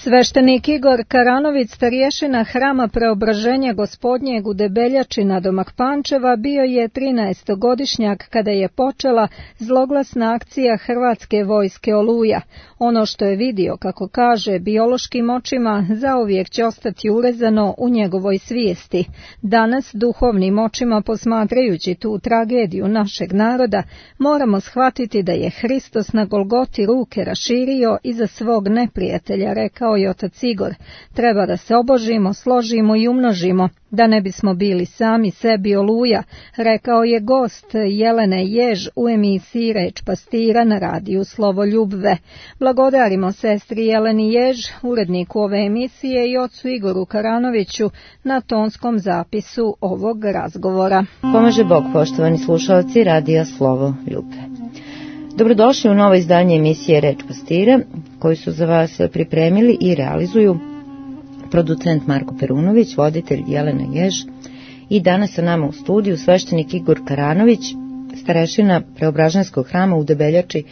Sveštenik Igor Karanović, starješina Hrama Preobraženja Gospodnjeg u Debeljači nadomak Pančeva, bio je 13-godišnjak kada je počela zloglasna akcija Hrvatske vojske Oluja. Ono što je vidio, kako kaže, biološkim očima zauvijek će ostati urezano u njegovoj svijesti. Danas, duhovnim očima posmatrajući tu tragediju našeg naroda, moramo shvatiti da je Hristos na Golgoti ruke raširio iza svog neprijatelja, rekao je otac Igor. Treba da se obožimo, složimo i umnožimo, da ne bismo bili sami sebi oluja, rekao je gost Jelene Jež u emisiji Reč pastira na radiju Slovo Ljubve. Blagodarimo sestri Jeleni Jež, uredniku ove emisije, i ocu Igoru Karanoviću na tonskom zapisu ovog razgovora. Pomaže Bog, poštovani slušalci radija Slovo Ljubve. Dobrodošli u novo izdanje emisije Reč pastira, koju su za vas pripremili i realizuju producent Marko Perunović, voditelj Jelena Jež i danas sa nama u studiju sveštenik Igor Karanović, starešina Preobraženskog hrama u Debeljači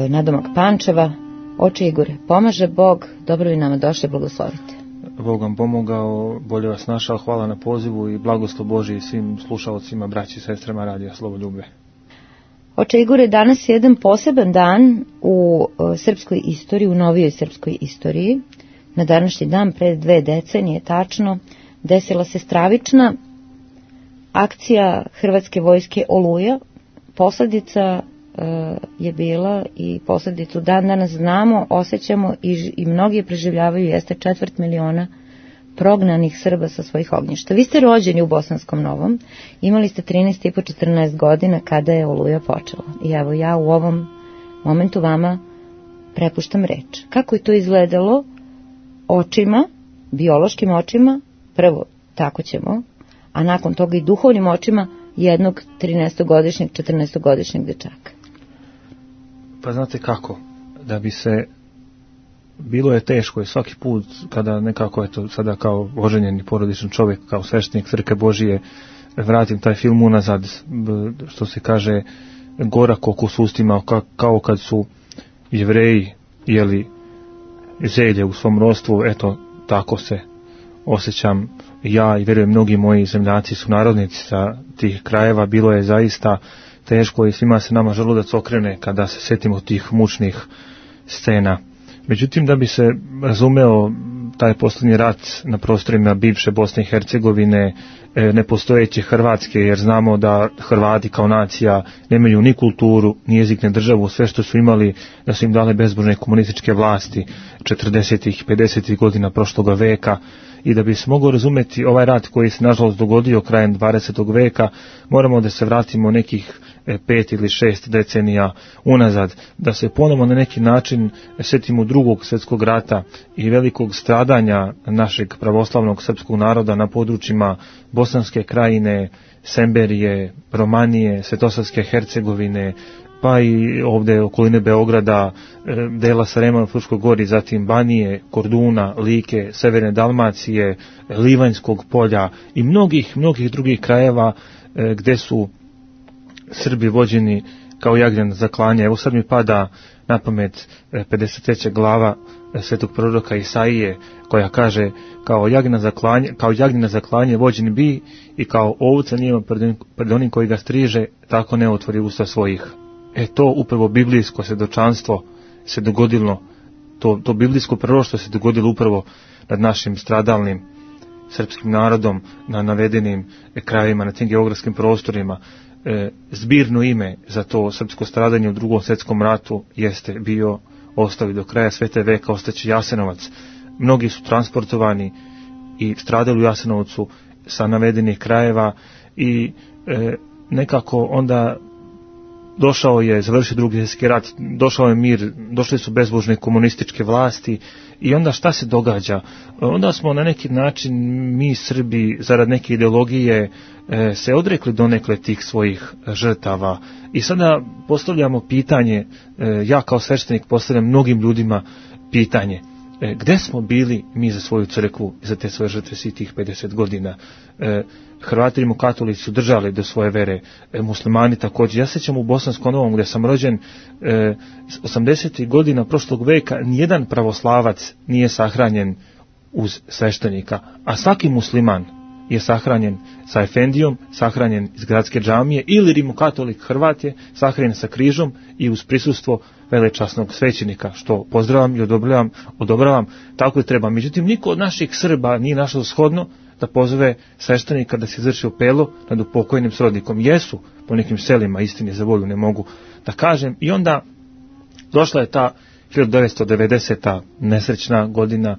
nadomak Pančeva. Oče Igore, pomaže Bog, dobro vi nama došli, blagoslovite. Bog vam pomogao, bolje vas našao, hvala na pozivu i blagoslov Božji svim slušalcima, braći i sestrama radija Slovo Ljubve. Oče Igore, danas je jedan poseban dan u srpskoj istoriji, u novijoj srpskoj istoriji. Na današnji dan, pred 2 decenije tačno, desila se stravična akcija Hrvatske vojske Oluja. Posljedica je bila i posljedicu dan danas znamo, osjećamo i mnogi je preživljavaju, jeste 250.000 prognanih Srba sa svojih ognjišta. Vi ste rođeni u Bosanskom Novom, imali ste 13,5-14 godina kada je Oluja počela. I evo ja u ovom momentu vama prepuštam reč. Kako je to izgledalo očima, biološkim očima, prvo tako ćemo, a nakon toga i duhovnim očima jednog 13-godišnjeg, 14-godišnjeg dečaka? Pa znate kako, da bi se, bilo je teško i svaki put kada nekako, eto, sada kao oženjeni porodičan čovjek, kao sveštenik Crkve Božije, vratim taj film unazad, što se kaže, gorak okus ustima, kao kad su Jevreji jeli zelje u svom rodstvu, eto, tako se osjećam ja i vjerujem mnogi moji zemljaci su narodnici sa tih krajeva. Bilo je zaista teško i svima se nama želudac okrene kada se sjetimo tih mučnih scena. Međutim, da bi se razumeo taj posljednji rat na prostorima bivše Bosne i Hercegovine, nepostojeće Hrvatske, jer znamo da Hrvati kao nacija nemaju ni kulturu, ni jezik, ni državu, sve što su imali da su im dale bezbožne komunističke vlasti 40-ih, 50-ih godina prošloga veka. I da bi se mogao razumjeti ovaj rat koji se nažalost dogodio krajem 20. veka, moramo da se vratimo nekih 5 ili 6 decenija unazad, da se ponovo na neki način sjetimo Drugog svjetskog rata i velikog stradanja našeg pravoslavnog srpskog naroda na područjima Bosanske krajine, Semberije, Romanije, Svetosavske Hercegovine, pa i ovdje okoline Beograda, dela Sarajeva na Fruškoj gori, zatim Banije, Korduna, Like, Severne Dalmacije, Livanjskog polja i mnogih drugih krajeva gdje su Srbi vođeni kao jagnjad za klanje. Evo sad mi pada na pamet 53. glava svetog proroka Isaije, koja kaže kao jagnjad za klanje vođen bi i kao ovca nijema pred onim koji ga striže, tako ne otvori usta svojih. To upravo biblijsko svjedočanstvo se dogodilo, to biblijsko proroštvo se dogodilo upravo nad našim stradalnim srpskim narodom na navedenim krajevima, na tim geografskim prostorima. Zbirno ime za to srpsko stradanje u Drugom svjetskom ratu jeste bio, ostavi do kraja svete veka, ostaće Jasenovac. Mnogi su transportovani i stradali u Jasenovcu sa navedenih krajeva i nekako onda došao je, završio Drugi svjetski rat, došao je mir, došli su bezbožne komunističke vlasti i onda šta se događa? Onda smo na neki način mi Srbi zarad neke ideologije se odrekli donekle tih svojih žrtava i sada postavljamo pitanje, ja kao sveštenik postavljam mnogim ljudima pitanje, gde smo bili mi za svoju crkvu, za te svoje žrtve svih tih 50 godina. Hrvati rimokatolici su držali do svoje vere, muslimani također. Ja se sjećam u Bosanskom Novom, gdje sam rođen, 80. godina prošlog veka, nijedan pravoslavac nije sahranjen uz sveštenika, a svaki musliman je sahranjen sa efendijom, sahranjen iz gradske džamije, ili rimokatolik Hrvat je sahranjen sa križom i uz prisustvo velečasnog svećenika, što pozdravljam i odobravam, tako i treba. Međutim, niko od naših Srba nije našao shodno da pozove sveštenika da se izvrši opelo nad upokojnim srodnikom. Jesu po nekim selima, istini za volju ne mogu da kažem. I onda došla je ta 1990. nesrećna godina,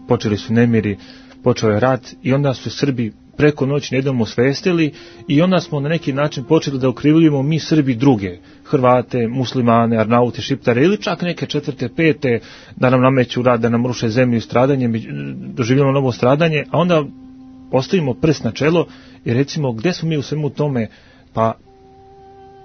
počeli su nemiri, počeo je rat i onda su Srbi preko noći jednom osvestili i onda smo na neki način počeli da okrivljujemo mi Srbi druge, Hrvate, muslimane, Arnaute, Šiptare ili čak neke četvrte, pete, da nam nameću rad, da nam ruše zemlju i stradanje, doživljamo novo stradanje, a onda postavimo prst na čelo i recimo gdje smo mi u svemu tome, pa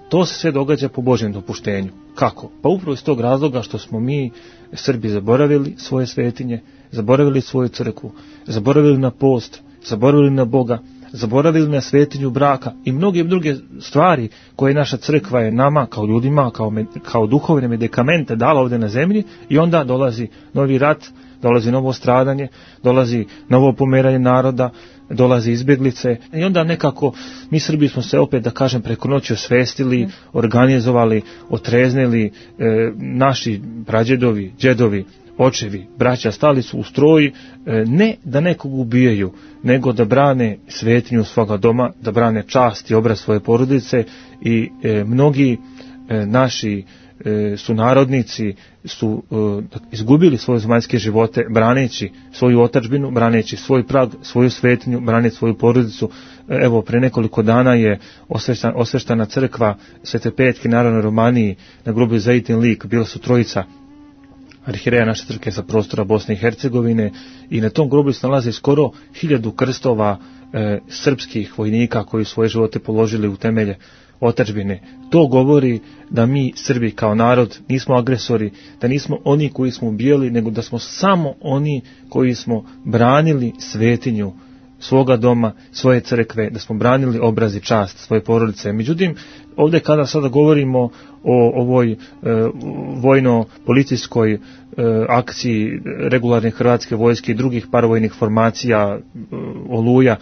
to se sve događa po Božjem dopuštenju. Kako? Pa upravo iz tog razloga što smo mi Srbi zaboravili svoje svetinje, zaboravili svoju crkvu, zaboravili na post, zaboravili na Boga, zaboravili na svetinju braka i mnoge druge stvari koje naša crkva je nama kao ljudima, kao duhovne medikamente dala ovdje na zemlji, i onda dolazi novi rat, dolazi novo stradanje, dolazi novo pomeranje naroda, dolazi izbjeglice i onda nekako mi Srbi smo se opet, da kažem, preko noći osvestili, organizovali, otreznili, naši prađedovi, džedovi, očevi, braća stali su u stroj, ne da nekog ubijaju, nego da brane svetinju svoga doma, da brane čast i obraz svoje porodice i mnogi naši sunarodnici su izgubili svoje zemaljske živote braneći svoju otadžbinu, braneći svoj prag, svoju svetinju, braneći svoju porodicu. Evo, pre nekoliko dana je osveštana crkva Svete Petke Narodnoj Romaniji na grobu Zaitin lik, bila su trojica arhijereja naše crkve sa prostora Bosne i Hercegovine i na tom grobu se nalaze skoro 1000 krstova srpskih vojnika koji svoje živote položili u temelje otadžbine. To govori da mi Srbi kao narod nismo agresori, da nismo oni koji smo ubijali, nego da smo samo oni koji smo branili svetinju svoga doma, svoje crkve, da smo branili obraz i čast svoje porodice. Međutim, ovdje kada sada govorimo o ovoj vojno-policijskoj akciji regularne hrvatske vojske i drugih paravojnih formacija, Oluja,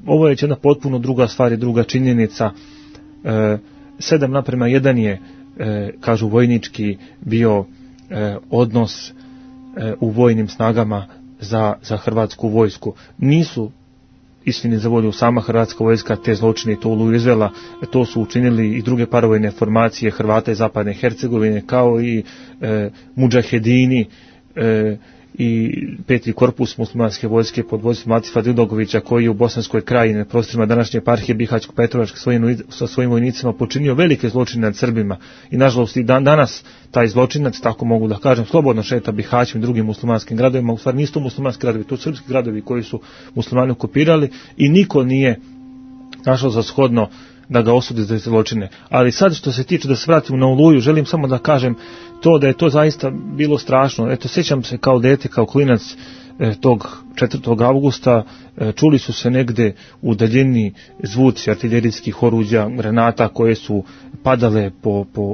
ovo je jedna potpuno druga stvar i druga činjenica. 7:1 je, kažu vojnički, bio odnos u vojnim snagama za hrvatsku vojsku. Nisu, istini za volju, sama hrvatska vojska te zločine i to Oluju izvela, to su učinili i druge paravojne formacije Hrvata iz zapadne Hercegovine, kao i mudžahedini i 5. korpus muslimanske vojske pod vodstvom Latifa Didogovića, koji je u Bosanskoj krajini na prostorima današnje eparhije Bihaćko-Petrovačke sa svojim vojnicima počinio velike zločine nad Srbima i nažalost i danas taj zločinac, tako mogu da kažem, slobodno šeta Bihaćim i drugim muslimanskim gradovima. U stvari nisu to muslimanski gradovi, to su srpski gradovi koji su muslimani okupirali i niko nije našao za shodno da ga osudi za zločine. Ali sad što se tiče, da se vratim na Oluju, želim samo da kažem to da je to zaista bilo strašno. Eto, sjećam se kao dete, kao klinac, tog 4. avgusta čuli su se negde u daljini zvuci artiljerijskih oruđa, granata koje su padale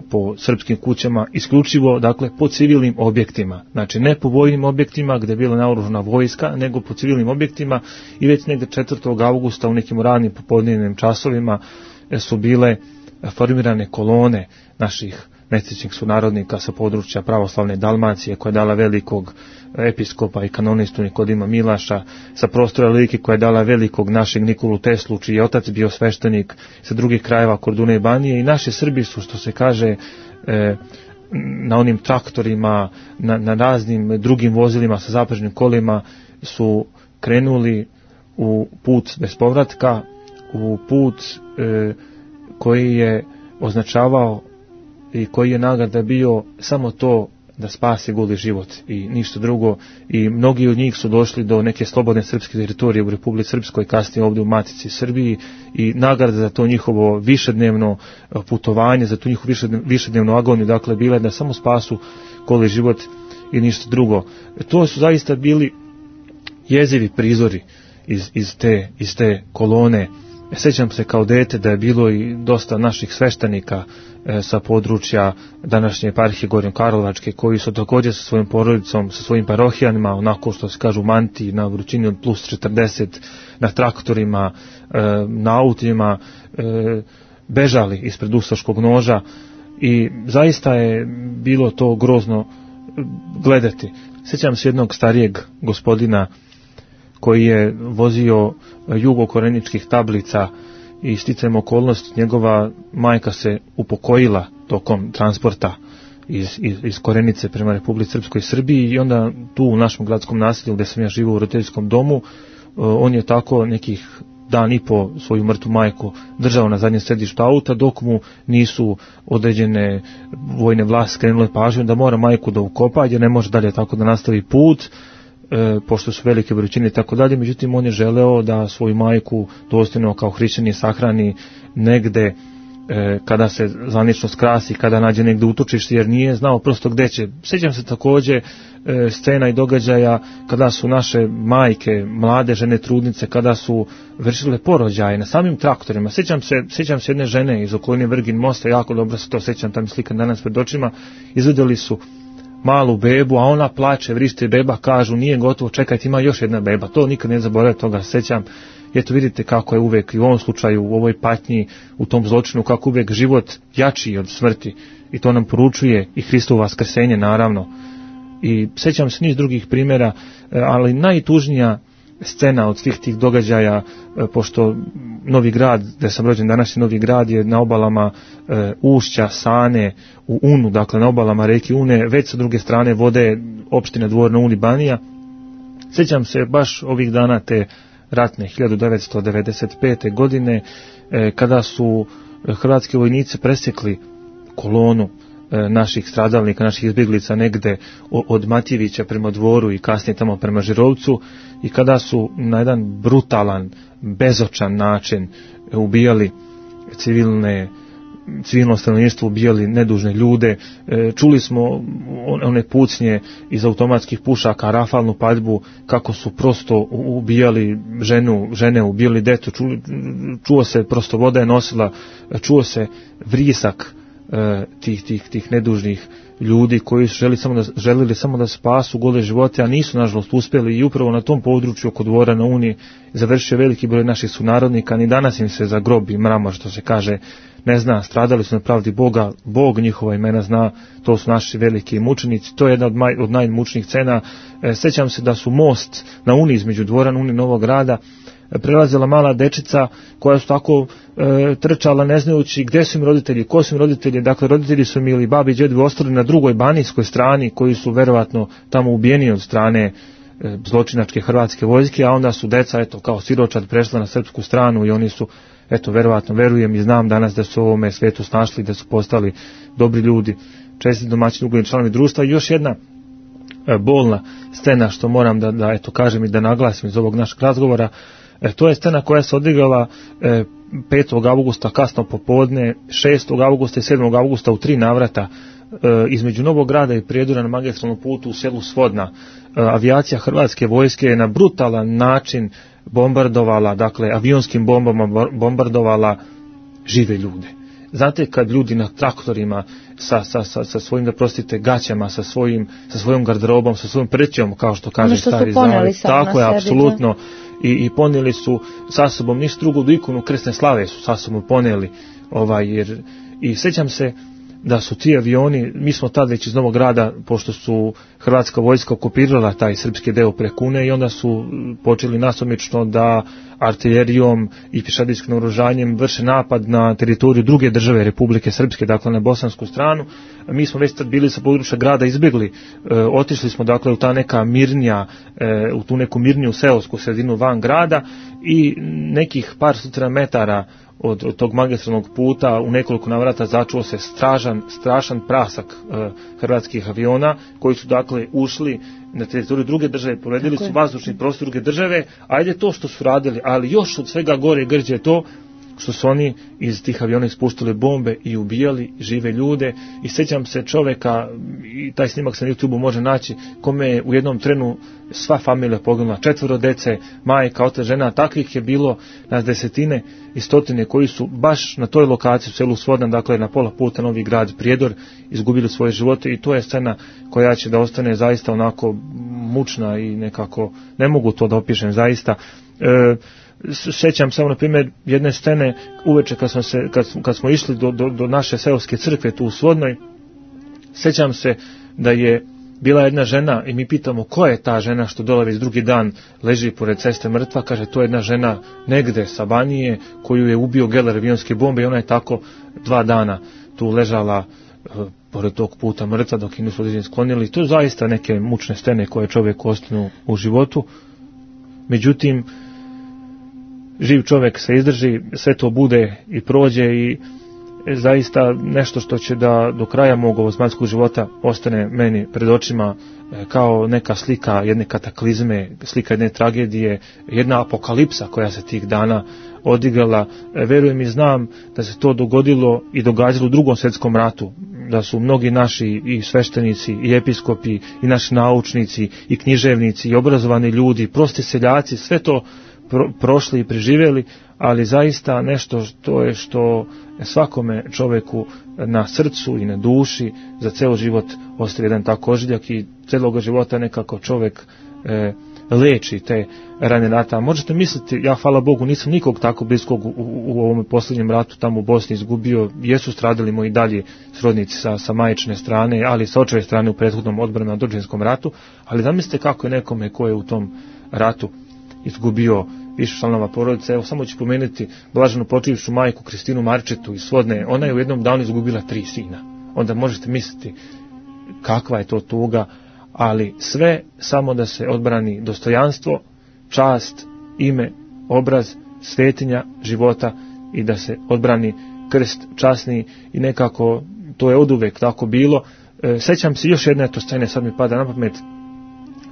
po srpskim kućama, isključivo, dakle, po civilnim objektima. Znači, ne po vojnim objektima gdje je bila naoružana vojska, nego po civilnim objektima, i već negde 4. avgusta u nekim ranim popodnevnim časovima su bile formirane kolone naših nesrećnih sunarodnika sa područja pravoslavne Dalmacije, koja je dala velikog episkopa i kanonistu Nikodima Milaša, sa prostora Like, koja je dala velikog našeg Nikolu Teslu, čiji je otac bio sveštenik, sa drugih krajeva Korduna i Banije, i naši Srbi su, što se kaže, na onim traktorima, na raznim drugim vozilima sa zaprežnim kolima su krenuli u put bez povratka, u put koji je označavao i koji je nagrada bio samo to da spase goli život i ništa drugo, i mnogi od njih su došli do neke slobodne srpske teritorije u Republici Srpskoj, kasnije ovdje u Matici Srbiji, i nagrada za to njihovo višednevno putovanje, za tu njihovu višednevnu agoniju, dakle, bila je da samo spasu goli život i ništa drugo. To su zaista bili jezivi prizori iz te kolone. Sjećam se kao dete da je bilo i dosta naših sveštenika sa područja današnje eparhije Gornjokarlovačke, koji su također sa svojim porodicom, sa svojim parohijanima, onako što se kažu mantiji, na vrućini od plus 40, na traktorima, na autima, bežali ispred ustaškog noža i zaista je bilo to grozno gledati. Sjećam se jednog starijeg gospodina koji je vozio jugokoreničkih tablica i sticajem okolnosti njegova majka se upokojila tokom transporta iz Korenice prema Republici Srpskoj Srbiji i onda tu u našem gradskom naselju gdje sam ja živio u roditeljskom domu, on je tako nekih dan i po svoju mrtvu majku držao na zadnjem sedištu auta dok mu nisu određene vojne vlasti skrenule pažnju da mora majku da ukopa jer ne može dalje tako da nastavi put, pošto su velike vrućine i tako dalje. Međutim, on je želeo da svoju majku dostojno kao hrišćanin sahrani negde kada se zvanično skrasi, kada nađe negde utočište, jer nije znao prosto gde će. Sjećam se također scena i događaja kada su naše majke, mlade žene, trudnice, kada su vršile porođaje na samim traktorima. Sjećam se jedne žene iz okoline Vrgin mosta, jako dobro se to sjećam, tam je slika danas pred očima, izvedeli su malu bebu, a ona plače, vrište, beba, kažu nije gotovo, čekajte, ima još jedna beba. To nikad ne zaboravim, toga sećam. Eto vidite kako je uvek i u ovom slučaju, u ovoj patnji, u tom zločinu, kako uvek život jači od smrti. I to nam poručuje i Hristovo vaskrsenje, naravno. I sećam se niz drugih primjera, ali najtužnija scena od svih tih događaja, pošto Novi Grad, gdje sam rođen, današnji Novi Grad je na obalama ušća Sane u Unu, dakle na obalama reke Une, već sa druge strane vode opština Dvor na Uni Banija. Sjećam se baš ovih dana te ratne 1995. godine kada su hrvatski vojnici presjekli kolonu naših stradalnika, naših izbjeglica negde od Matijevića prema Dvoru i kasnije tamo prema Žirovcu i kada su na jedan brutalan, bezočan način ubijali civilno stanovništvo, ubijali nedužne ljude. Čuli smo one pucnje iz automatskih pušaka, rafalnu paljbu, kako su prosto ubijali žene, ubijali decu, čuo se, prosto voda je nosila, čuo se vrisak tih nedužnih ljudi koji su želili samo da spasu gole živote, a nisu nažalost uspjeli i upravo na tom području oko Dvora na Uni završio veliki broj naših sunarodnika. Ni danas im se za grob i mramor, što se kaže, ne zna. Stradali su na pravdi Boga, Bog njihova imena zna, to su naši veliki mučenici. To je jedna od najmučnijih scena. Sjećam se da su most na Uni između Dvora na Uni Novog Grada prelazila mala dečica koja su tako trčala ne znajući gdje su im roditelji, ko su im roditelji. Dakle, roditelji su im ili babi i djedovi ostali na drugoj banijskoj strani, koji su verovatno tamo ubijeni od strane zločinačke hrvatske vojske, a onda su deca, eto, kao siročad prešla na srpsku stranu i oni su, eto, verovatno, verujem i znam danas da su u ovome svijetu snašli, da su postali dobri ljudi, čestiti domaćini, ugledni članovi društva. I još jedna bolna scena što moram da eto kažem i da naglasim iz ovog našeg razgovora, to je scena koja se odigrala 5. avgusta kasno popodne, 6. avgusta i 7. avgusta u 3 navrata između Novog Grada i Prijedora na magistralnom putu u selu Svodna. Avijacija hrvatske vojske je na brutalan način bombardovala, dakle avionskim bombama bombardovala žive ljude. Znate, kad ljudi na traktorima sa svojim, da prostite, gaćama, sa svojom garderobom, sa svojom prećom, kao što kaže stari zavet, tako je, apsolutno, i ponijeli su sa sobom ništa drugo do ikonu krsne slave su sa sobom ponijeli, i sjećam se da su ti avioni, mi smo tad već iz Novog Grada, pošto su hrvatska vojska okupirala taj srpski deo preko Une, i onda su počeli nasumično da artiljerijom i pješadijskim naoružanjem vrše napad na teritoriju druge države Republike Srpske, dakle na bosansku stranu. Mi smo već tad bili sa područja grada izbjegli, otišli smo dakle u ta neka mirnija, u tu neku mirniju seosku sredinu van grada, i nekih par stotina metara od tog magistralnog puta u nekoliko navrata začuo se strašan prasak hrvatskih aviona, koji su dakle ušli na teritoriju druge države, povredili su vazdušni prostor druge države. Ajde to što su radili, ali još od svega gore grđe to što su oni iz tih aviona ispuštali bombe i ubijali žive ljude. I sjećam se čovjeka, i taj snimak se na YouTubeu može naći, kome je u jednom trenu sva familija poginula, 4 dece, majka, otac, žena. Takvih je bilo na desetine i stotine koji su baš na toj lokaciji u selu Svodan, dakle na pola puta Novi Grad, Prijedor, izgubili svoje živote. I to je scena koja će da ostane zaista onako mučna i nekako, ne mogu to da opišem zaista. Sjećam samo na primjer jedne scene uveče kad smo išli do naše seoske crkve tu u Svodnoj. Sjećam se da je bila jedna žena i mi pitamo ko je ta žena što dole već drugi dan leži pored ceste mrtva. Kaže, to je jedna žena negde sa Banije koju je ubio geler avionske bombe i ona je tako 2 dana tu ležala pored tog puta mrtva dok je nisu određeni sklonili. To je zaista neke mučne scene koje čovjek ostanu u životu. Međutim, živ čovjek se izdrži, sve to bude i prođe i zaista nešto što će da do kraja mog ovozemaljskog života ostane meni pred očima kao neka slika jedne kataklizme, slika jedne tragedije, jedna apokalipsa koja se tih dana odigrala. Verujem i znam da se to dogodilo i događalo u Drugom svjetskom ratu, da su mnogi naši i sveštenici i episkopi i naši naučnici i književnici i obrazovani ljudi, prosti seljaci, sve to prošli i preživjeli, ali zaista nešto što svakome čovjeku na srcu i na duši za ceo život ostaje jedan tako ožiljak i celog života nekako čovjek leči te rane rata. Možete misliti, ja hvala Bogu nisam nikog tako bliskog u ovom posljednjem ratu tamo u Bosni izgubio, jesu stradali moji dalje srodnici sa majčine strane, ali sa očeve strane u prethodnom odbranu na Držinskom ratu, ali zamislite kako je nekome ko je u tom ratu izgubio više članova porodice. Evo samo ću pomenuti blaženu počivšu majku Kristinu Marčetu iz Svodne. Ona je u jednom danu izgubila 3 sina. Onda možete misliti kakva je to tuga, ali sve samo da se odbrani dostojanstvo, čast, ime, obraz, svetinja života i da se odbrani krst časni i nekako to je oduvek tako bilo. Sjećam se još jedne to scene, sad mi pada na pamet.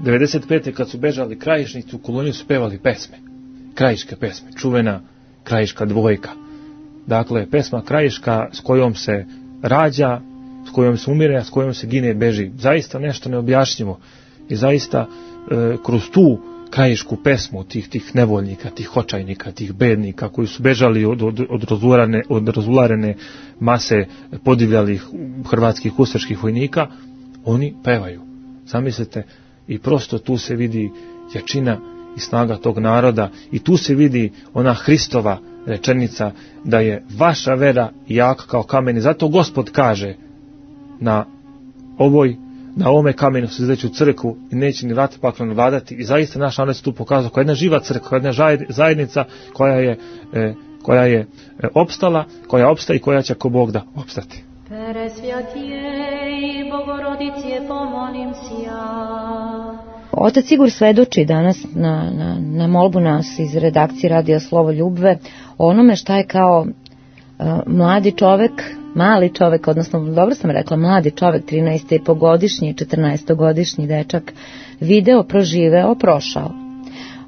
95. kad su bežali krajišnici u koloniju su pevali pesme, krajiške pesme, čuvena krajiška dvojka. Dakle, pesma krajiška s kojom se rađa, s kojom se umire, a s kojom se gine, beži. Zaista nešto neobjašnjivo. I zaista kroz tu krajišku pesmu tih nevoljnika, tih očajnika, tih bednika koji su bežali od razularene mase podivljalih hrvatskih ustaških vojnika, oni pevaju. Zamislite, i prosto tu se vidi jačina i snaga tog naroda i tu se vidi ona Hristova rečenica da je vaša vera jaka kao kamen i zato Gospod kaže na ovome kamenu se izreću crkvu i neće ni vrat pakleno vladati i zaista naš narod se tu pokazao kao jedna živa crkva, jedna zajednica koja je opstala, koja opstaje i koja će ako Bog da opstati. Presvjatijej Bogorodice pomolim sja. Otac Igor svedoči danas na molbu nas iz redakcije Radio Slovo Ljubve o onome šta je kao mali čovek, odnosno dobro sam rekla, mladi čovek, 13,5-godišnji, 14-godišnji dečak, video, proživeo, prošao.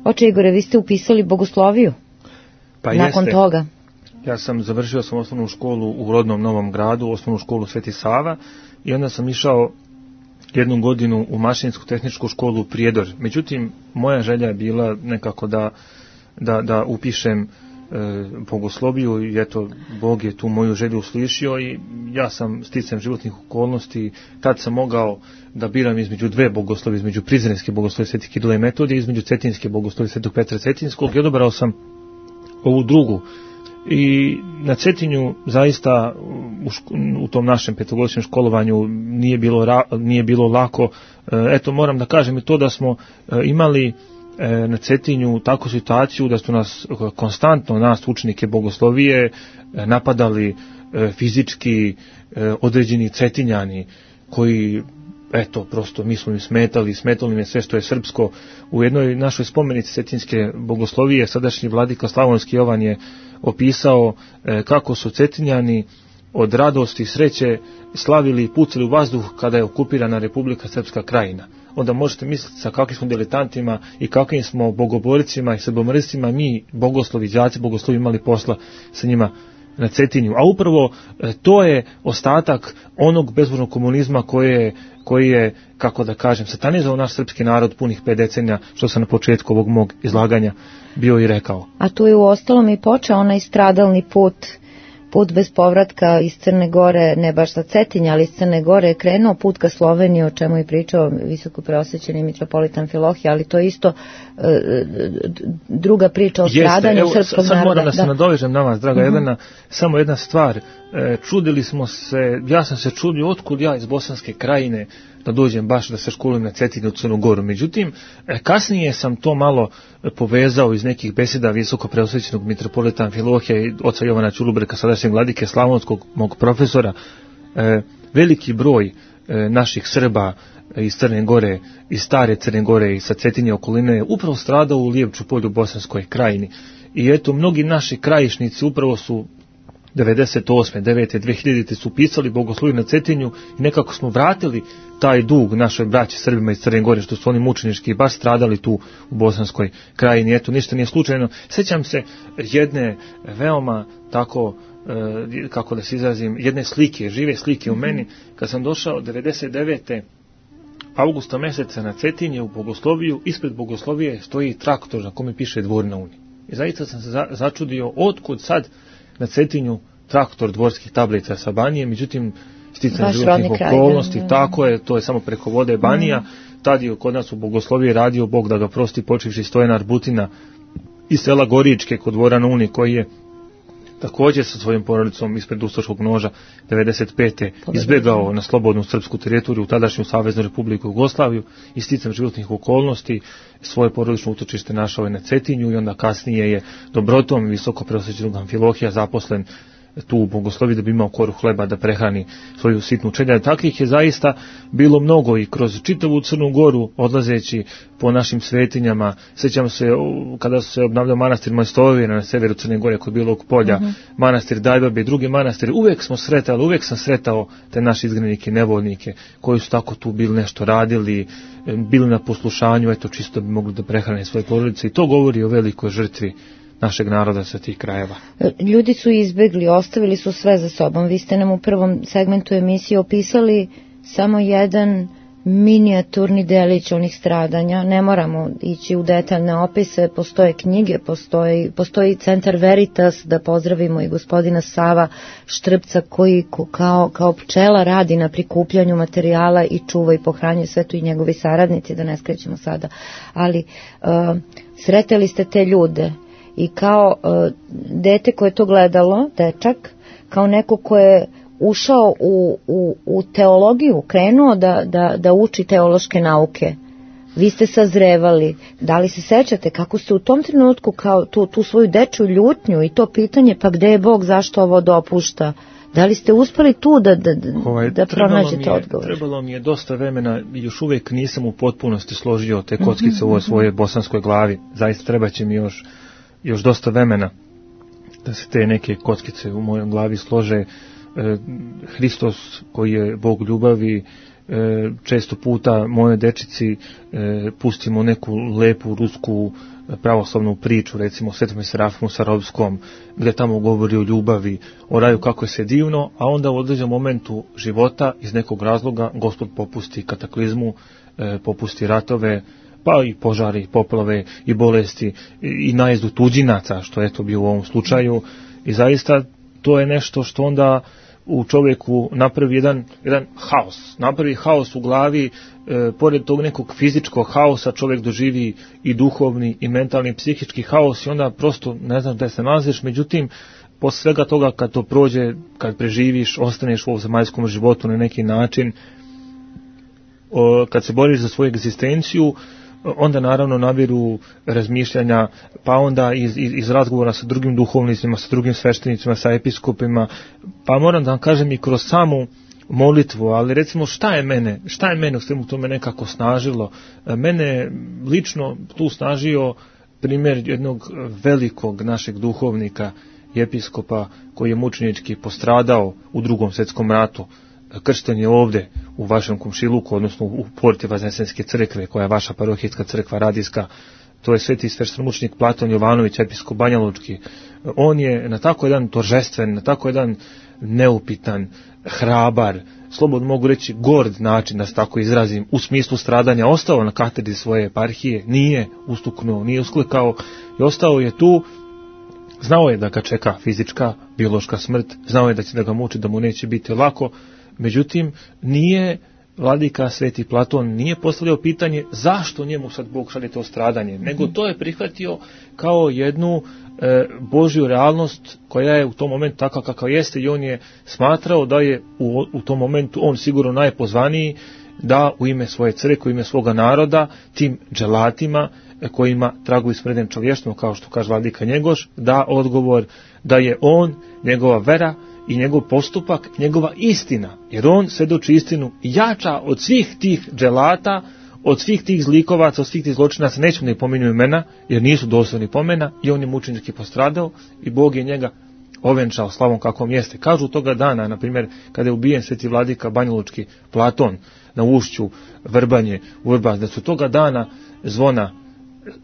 Oče Igore, vi ste upisali bogosloviju nakon toga. Ja sam završio osnovnu školu u rodnom Novom Gradu, osnovnu školu Sveti Sava i onda sam išao 1 godinu u mašinsku tehničku školu u Prijedor. Međutim, moja želja je bila nekako da upišem bogosloviju i eto, Bog je tu moju želju uslišio i ja sam sticajem životnih okolnosti, tad sam mogao da biram između 2 bogoslovi, između Prizrenske bogoslovi Svetih Kirila i Metodija i između Cetinske bogoslovi Svetog Petra Cetinskog i odabrao sam ovu drugu. I na Cetinju zaista u tom našem 5-godišnjem školovanju nije bilo lako. Eto, moram da kažem i to da smo imali na Cetinju takvu situaciju da su nas konstantno, nas učenike bogoslovije, napadali fizički određeni Cetinjani koji, eto, prosto mi smo im smetali im sve što je srpsko. U jednoj našoj spomenici Cetinske bogoslovije sadašnji vladika Slavonski Jovan je opisao kako su Cetinjani od radosti i sreće slavili i pucali u vazduh kada je okupirana Republika Srpska Krajina. onda možete misliti sa kakvim smo diletantima i kakvim smo bogoboricima i srbomrscima mi, bogoslovi, đaci bogoslovi, imali posla sa njima na Cetinju. A upravo to je ostatak onog bezbožnog komunizma koji je, kako da kažem, satanizao naš srpski narod punih 5 decenija, što sam na početku ovog mog izlaganja bio i rekao. A tu je u ostalom i počeo onaj stradalni put bez povratka iz Crne Gore, ne baš sa Cetinja, ali iz Crne Gore je krenuo put ka Sloveniji, o čemu je pričao visoko preosvećeni mitropolitan Amfilohije, ali to je isto druga priča o stradanju srpskog naroda. Sad moram da se nadovežem na vas, draga Jelena, samo jedna stvar. Čudili smo se, ja sam se čudio otkud ja iz Bosanske Krajine da dođem baš da se školujem na Cetinju u Crnu Goru. Međutim, kasnije sam to malo povezao iz nekih beseda visoko preosvećenog mitropolita Amfilohija i oca Jovana Ćulubreka, sadašnjeg vladike Slavonskog, mog profesora. Veliki broj naših Srba iz Crne Gore, iz stare Crne Gore i sa Cetinje okoline je upravo stradao u Lijevču polju u Bosanskoj Krajini. I eto, mnogi naši krajišnici upravo su 98. 9. 2000. su pisali bogoslužje na Cetinju i nekako smo vratili taj dug našoj braći Srbima iz Crne Gore, što su oni mučenički baš stradali tu u Bosanskoj Krajini. Eto, ništa nije slučajno. Sjećam se jedne veoma tako, kako da se izrazim, jedne slike, žive slike u meni, kad sam došao 99. augusta meseca na Cetinje u Bogosloviju, ispred Bogoslovije stoji traktor na kome piše Dvor na Uni. I zaista sam se začudio otkud sad na Cetinju traktor dvorskih tablica sa Banije, međutim sticam životnih okolnosti, tako je, to je samo preko vode Banija, tad je kod nas u Bogosloviji radio, Bog da ga prosti, počevši Stojan Arbutina iz sela Goričke kod Dvora na Uni, koji je također sa svojim porodicom ispred Ustaškog noža 95. izbjegao na slobodnu srpsku teritoriju u tadašnju Saveznu Republiku Jugoslaviju i sticam životnih okolnosti svoje porodično utočište našao je na Cetinju i onda kasnije je dobrotom visoko preosvećenog Amfilohija zaposlen tu u Bogosloviji da bi imao koru hleba da prehrani svoju sitnu čeljad. Takvih je zaista bilo mnogo i kroz čitavu Crnu Goru odlazeći po našim svetinjama. Sjećam se kada se obnavljao manastir Mojstovina na severu Crne Gore kod Bilog polja, manastir Dajbabe i drugi manastiri. Uvijek sam sretao te naše izgnanike, nevoljnike koji su tako tu bili nešto radili, bili na poslušanju, eto čisto bi mogli da prehrane svoje porodice i to govori o velikoj žrtvi našeg naroda sa tih krajeva. Ljudi su izbegli, ostavili su sve za sobom. Vi ste nam u prvom segmentu emisije opisali samo jedan minijaturni delić onih stradanja. Ne moramo ići u detaljne opise, postoje knjige, postoji Centar Veritas, da pozdravimo i gospodina Sava Štrpca koji kao pčela radi na prikupljanju materijala i čuva i pohranjuje sve to i njegovi saradnici, da ne skrećemo sada. Ali sreteli ste te ljude i kao dete koje je to gledalo, dečak, kao neko ko je ušao u teologiju, krenuo da uči teološke nauke. Vi ste sazrevali. Da li se sećate kako ste u tom trenutku kao tu svoju dečju ljutnju i to pitanje pa gde je Bog, zašto ovo dopušta? Da li ste uspeli tu da pronađete odgovor? Trebalo mi je dosta vremena i još uvijek nisam u potpunosti složio te kockice u ovoj svojoj bosanskoj glavi. Zaista treba će mi još dosta vremena da se te neke kockice u mojoj glavi slože. Hristos koji je Bog ljubavi, često puta moje dečici pustimo neku lepu rusku pravoslavnu priču, recimo o Svetom Serafimu Sarovskom, gdje tamo govori o ljubavi, o raju kako je sve divno, a onda u određenom momentu života iz nekog razloga Gospod popusti kataklizmu, popusti ratove, pa i požari, poplave i bolesti i najezdu tuđinaca, što je to bio u ovom slučaju. I zaista to je nešto što onda u čovjeku napravi jedan haos. Napravi haos u glavi, pored tog nekog fizičkog haosa čovjek doživi i duhovni i mentalni i psihički haos i onda prosto ne znaš da se nalaziš. Međutim, posle svega toga kad to prođe, kad preživiš, ostaneš u ovom zemaljskom životu na neki način, kad se boriš za svoju egzistenciju, onda naravno nabiru razmišljanja, pa onda iz razgovora sa drugim duhovnicima, sa drugim sveštenicima, sa episkopima, pa moram da vam kažem i kroz samu molitvu, ali recimo šta je mene u svemu tome nekako snažilo? Mene lično tu snažio primjer jednog velikog našeg duhovnika i episkopa koji je mučenički postradao u Drugom svjetskom ratu. kršten je ovdje u vašem komšiluku, odnosno u porti Vaznesenske crkve, koja je vaša parohijska crkva radijska. To je sveti sveštenomučenik Platon Jovanović, episkop Banjalučki. On je na tako jedan toržestven, na tako jedan neupitan, hrabar, slobodno mogu reći gord način, da se tako izrazim, u smislu stradanja, ostao na katedri svoje eparhije, nije ustuknuo, nije usklikao i ostao je tu. Znao je da ga čeka fizička, biološka smrt, znao je da će da ga muči, da mu neće biti lako, međutim nije vladika sveti Platon nije postavljao pitanje zašto njemu sad Bog šalje to stradanje, nego to je prihvatio kao jednu Božju realnost koja je u tom momentu takva kakva jeste, i on je smatrao da je u tom momentu on sigurno najpozvaniji da u ime svoje crkve, u ime svoga naroda, tim dželatima kojima traguju smrden čovještvom, kao što kaže vladika Njegoš, da odgovor da je on, njegova vera i njegov postupak, njegova istina, jer on svjedoči istinu jača od svih tih dželata, od svih tih zlikovaca, od svih tih zločinaca, nećemo da ih pominju imena, jer nisu dostojni pomena, i on je mučenički postradao i Bog je njega ovenčao slavom kakvom jeste. Kažu toga dana, na primjer, kada je ubijen sveti vladika Banjalučki Platon na ušću Vrbanje u Vrbas, da su toga dana zvona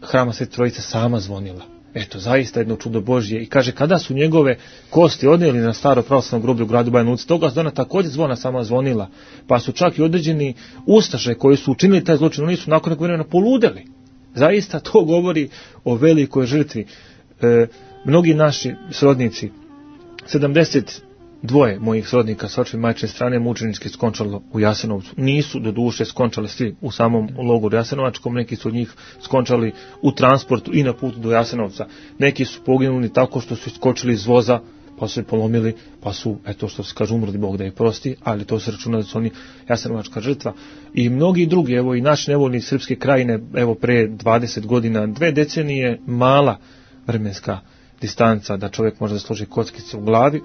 Hrama Svete Trojice sama zvonila. Eto, zaista jedno čudo Božje. I kaže, kada su njegove kosti odnijeli na staro pravoslavno groblje u gradu Banja Luci, toga dana također zvona sama zvonila. Pa su čak i određeni ustaše koji su učinili taj zločin, oni su nakon nekog vremena poludeli. Zaista to govori o velikoj žrtvi. Mnogi naši srodnici, 72 mojih srodnika sa očeve majčine strane mučenički skončalo u Jasenovcu. Nisu do duše skončali svi u samom logoru Jasenovačkom, neki su od njih skončali u transportu i na putu do Jasenovca. Neki su poginuli tako što su skočili iz voza, pa su se polomili, pa su, eto što se kaže, umrli, Bog da ih prosti, ali to se računa da su oni jasenovačka žrtva. I mnogi drugi, evo i naši nevoljni srpske krajine, evo pre 20 godina, 2 decenije, mala vremenska distanca da čovjek može da složi kockice u glavi.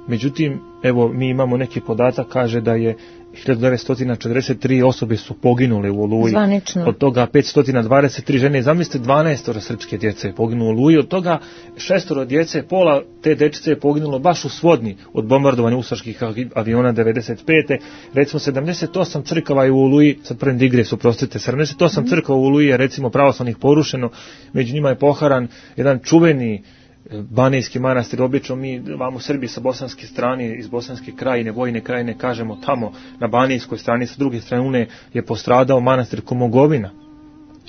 Međutim, evo mi imamo neki podatak, kaže da je 1943 osobe su poginule u Oluji. Zvanično. Od toga 523 žene, zamislite 12 srpske djece je poginulo u Oluji, od toga 6 djece, pola te dečice je poginulo baš u Svodni od bombardovanja ustaških aviona 95. Recimo 78 crkava je u Oluji, sad prvim digres, oprostite, 78 crkava u Oluji je recimo pravoslavnih porušeno, među njima je poharan jedan čuveni Banijski manastir. Obično mi vam u Srbiji sa bosanske strane, iz Bosanske krajine, Vojne krajine, kažemo tamo na Banijskoj strani, sa druge strane je postradao manastir Komogovina,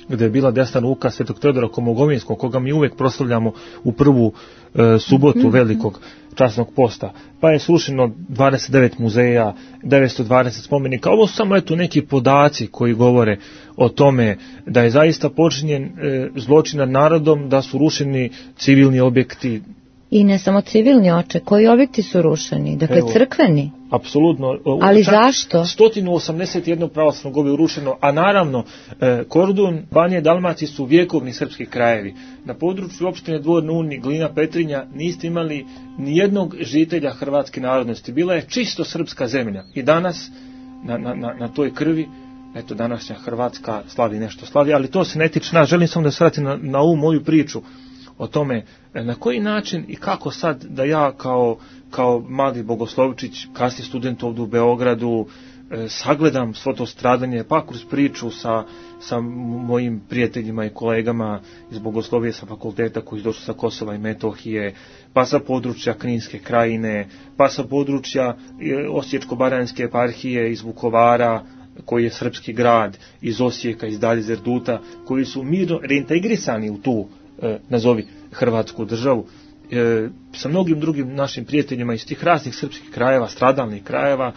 gdje je bila desna ruka svetog Teodora Komogovinskog, koga mi uvijek proslavljamo u prvu subotu velikog časnog posta. Pa je srušeno 29 muzeja, 920 spomenika. Ovo su samo eto neki podaci koji govore o tome da je zaista počinjen zločin nad narodom, da su rušeni civilni objekti. I ne samo civilni, oče, koji objekti su rušeni? Dakle, evo, crkveni? Apsolutno. Ali zašto? 181 pravoslavnog groblja urušeno, a naravno Kordun, Banije, Dalmacije su vjekovni srpski krajevi. Na području opštine Dvor na Uni, Glina, Petrinja niste imali ni jednog žitelja hrvatske narodnosti. Bila je čisto srpska zemlja. I danas na toj krvi, eto, današnja Hrvatska slavi nešto slavi, ali to se ne tiče nas. Želim samo da se vratim na ovu moju priču o tome na koji način i kako sad da ja kao mladi bogoslovčić, kasniji student ovdje u Beogradu, sagledam svo to stradanje, pa kroz priču sa mojim prijateljima i kolegama iz bogoslovije sa fakulteta koji su došli sa Kosova i Metohije, pa sa područja Kninske krajine, pa sa područja Osječko-baranjske eparhije iz Vukovara, koji je srpski grad, iz Osijeka, iz Dalje Zerduta, koji su mirno reintegrisani u tu nazovi Hrvatsku državu, sa mnogim drugim našim prijateljima iz tih raznih srpskih krajeva, stradalnih krajeva,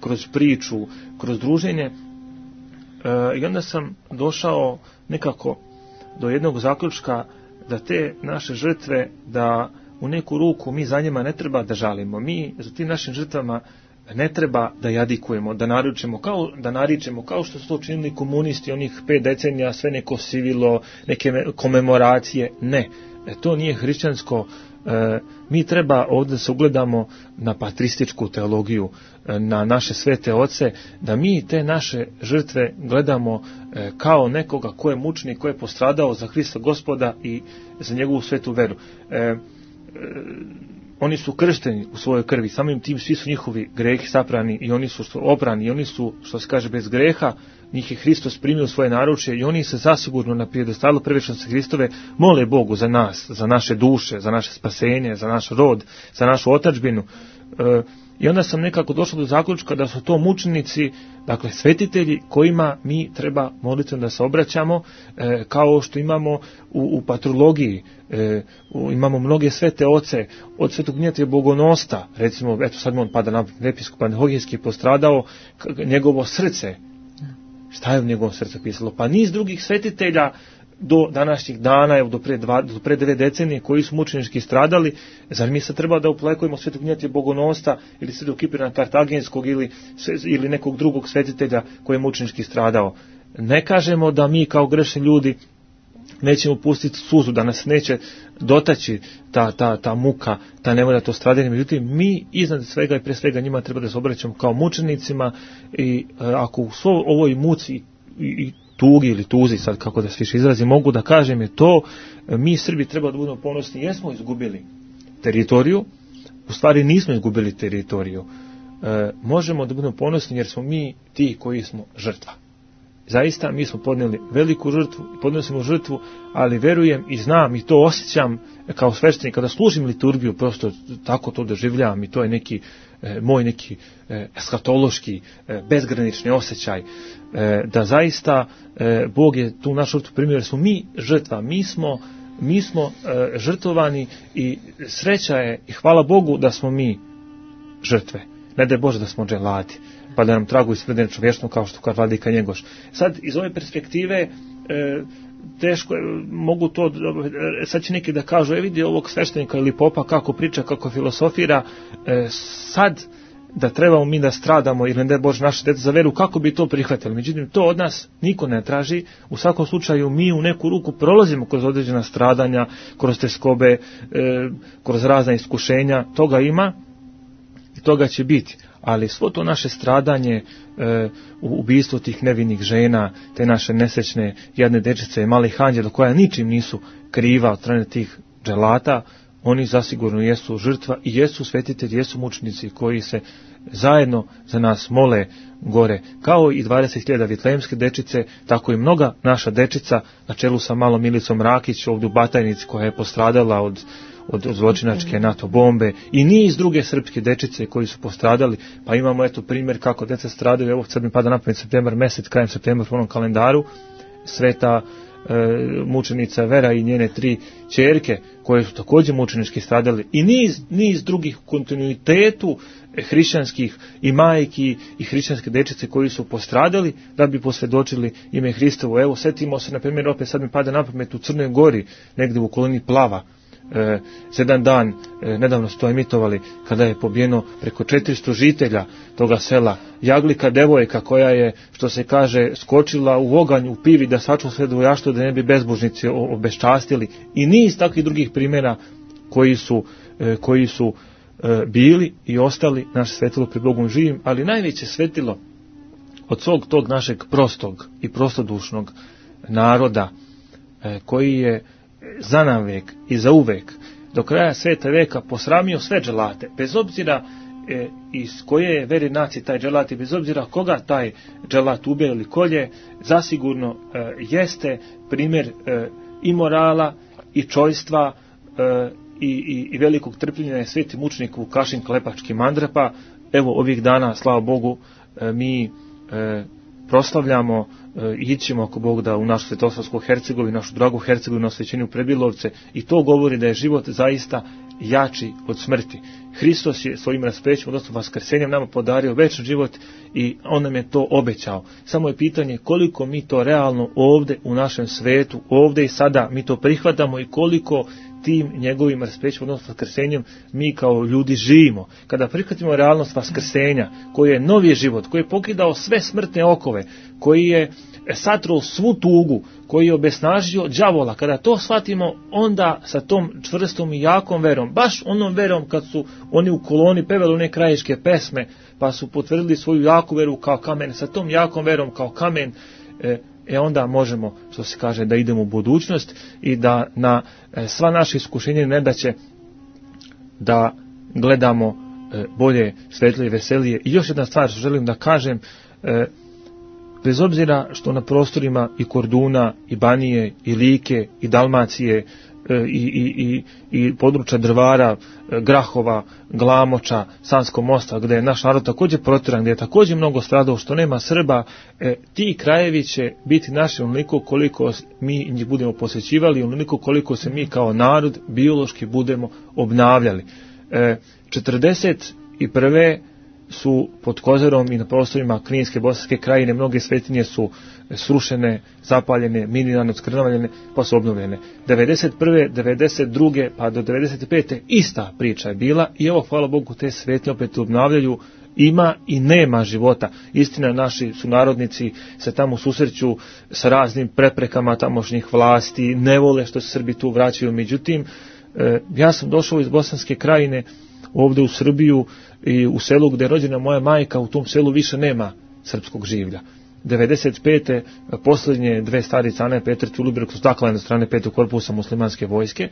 kroz priču, kroz druženje. I onda sam došao nekako do jednog zaključka da te naše žrtve, da u neku ruku mi za njima ne treba da žalimo. Mi za tim našim žrtvama ne treba da jadikujemo, da naričemo kao što su to činili komunisti onih 5 decenija, sve neko sivilo, neke komemoracije. Ne, to nije hrišćansko. Mi treba ovdje se ugledamo na patrističku teologiju, na naše svete oce, da mi te naše žrtve gledamo kao nekoga ko je mučenik, ko je postradao za Hrista Gospoda i za njegovu svetu veru. oni su kršteni u svojoj krvi, samim tim svi su njihovi grehi saprani i oni su oprani i oni su, što se kaže, bez greha. Njih je Hristos primio u svoje naručje i oni se zasigurno na pijedestalu privečnosti Hristove mole Bogu za nas, za naše duše, za naše spasenje, za naš rod, za našu otadžbinu. I onda sam nekako došao do zaključka da su to mučenici, dakle svetitelji kojima mi treba molitvom da se obraćamo, kao što imamo u patrologiji, imamo mnoge svete oce, od svetog Dmitrija Bogonosta, recimo, eto sad on pada na episkop Antiohijski postradao, njegovo srce. Šta je u njegovom srcu pisalo? Pa niz drugih svetitelja do današnjih dana, evo do pre 9 decenije, koji su mučenički stradali. Zar mi se treba da uplekujemo svetog Dmitrija Bogonosta ili svetog Kipirana Kartaginskog ili nekog drugog svetitelja koji je mučenički stradao? Ne kažemo da mi kao grešni ljudi nećemo pustiti suzu, da nas neće dotaći ta muka, ta nevolja, to stradanje. Međutim, mi iznad svega i pre svega njima treba da se obraćamo kao mučenicima i ako u ovoj muci i tugi ili tuzi, sad kako da se više izrazi, mogu da kažem je to, mi Srbi treba da budemo ponosni, jesmo izgubili teritoriju, u stvari nismo izgubili teritoriju. Možemo da budemo ponosni jer smo mi ti koji smo žrtva. Zaista, mi smo podnijeli veliku žrtvu i podnosimo žrtvu, ali verujem i znam i to osjećam kao sveštenik kada služim liturgiju, prosto tako to doživljavam i to je neki moj neki eskatološki, bezgranični osjećaj, da zaista Bog je tu našu žrtvu primio, jer smo mi žrtva, mi smo žrtvovani i sreća je i hvala Bogu da smo mi žrtve. Ne daj Bože da smo dželati, pa da nam tragu isprede čovječno kao što kaže vladika Njegoš. Sad, iz ove perspektive, teško je, mogu to, sad će neki da kažu, vidi ovog sveštenika ili popa kako priča, kako filosofira, sad da trebamo mi da stradamo ili ne daj Bože naše dete za veru, kako bi to prihvatili. Međutim, to od nas niko ne traži. U svakom slučaju mi u neku ruku prolazimo kroz određena stradanja, kroz teskobe, kroz razna iskušenja, toga ima i toga će biti. Ali svo to naše stradanje, ubijstvo tih nevinih žena, te naše nesrećne jadne dečice, malih anđela koja ničim nisu kriva od strane tih dželata, oni zasigurno jesu žrtva i jesu svetitelji, jesu mučenici koji se zajedno za nas mole gore. Kao i 20.000 vitlejemske dečice, tako i mnoga naša dečica na čelu sa malom Milicom Rakić ovdje u Batajnici koja je postradala od zločinačke NATO bombe i niz druge srpske dečice koji su postradali, pa imamo eto primjer kako deca stradaju. Evo sad mi pada na pamet septembar mesec, krajem septembra u onom kalendaru, sveta mučenica Vera i njene 3 ćerke koje su također mučenički stradali i niz drugih kontinuitetu hrišćanskih i majki i hrišćanske dečice koji su postradali da bi posvjedočili ime Hristovo. Evo setimo se na primjer, opet sad mi pada na pamet, u Crnoj Gori negdje u okolini Plava, za jedan dan, nedavno su to emitovali, kada je pobijeno preko 400 žitelja toga sela, Jaglika devojka koja je, što se kaže, skočila u oganj u pivi da sačuva sve dvojaštvo da ne bi bezbožnici obeščastili, i niz takvih drugih primjera koji su bili i ostali naše svetilo pred Bogom živim. Ali najveće svetilo od svog tog našeg prostog i prostodušnog naroda koji je za navek i za uvek do kraja sveta veka posramio sve dželate, bez obzira iz koje je vere nacije taj dželat i bez obzira koga taj dželat ubije ili kolje, zasigurno jeste primjer i morala i čojstva i velikog trpljenja je sveti mučenik Vukašin Klepački Mandrapa. Evo ovih dana, slava Bogu, mi proslavljamo i ićemo ako Bog da u našu Svetosavsku Hercegovinu, našu dragu Hercegovinu, osvećenju Prebilovce, i to govori da je život zaista jači od smrti. Hristos je svojim raspećem, odnosno vaskrsenjem, nama podario večni život i on nam je to obećao. Samo je pitanje koliko mi to realno ovdje u našem svetu, ovdje i sada mi to prihvatamo i koliko tim njegovim raspećem, odnosno vaskrsenjem, mi kao ljudi živimo. Kada prihvatimo realnost vaskrsenja, koji je novi život, koji je pokidao sve smrtne okove, koji je satruo svu tugu, koji je obesnažio đavola, kada to shvatimo, onda sa tom čvrstom i jakom verom, baš onom verom kad su oni u koloni pevali one krajiške pesme, pa su potvrdili svoju jaku veru kao kamen, sa tom jakom verom kao kamen, onda možemo, što se kaže, da idemo u budućnost i da na sva naše iskušenje ne da će da gledamo bolje, svetlije, veselije. I još jedna stvar što želim da kažem, bez obzira što na prostorima i Korduna, i Banije, i Like, i Dalmacije, i područja Drvara, Grahova, Glamoča, Sanskog mosta, gdje je naš narod također protiran, gdje je također mnogo stradao, što nema Srba, ti krajevi će biti naši onoliko koliko mi njih budemo posjećivali, onoliko koliko se mi kao narod biološki budemo obnavljali. 41. su pod Kozarom i na prostorima Kninske, Bosanske krajine mnoge svetinje su srušene, zapaljene, minirane, odskrnavljene, pa su obnovljene. 91. 92. pa do 95. ista priča je bila i evo, hvala Bogu, te svetinje opet obnavljaju. Ima i nema života. Istina, naši sunarodnici se tamo susreću sa raznim preprekama tamošnjih vlasti, ne vole što se Srbi tu vraćaju. Međutim, ja sam došao iz Bosanske krajine ovdje u Srbiju i u selu gdje je rođena moja majka, u tom selu više nema srpskog življa. 95. posljednje dve starice, Ana i Petar Ćulibrk, su staklane strane 5. korpusa muslimanske vojske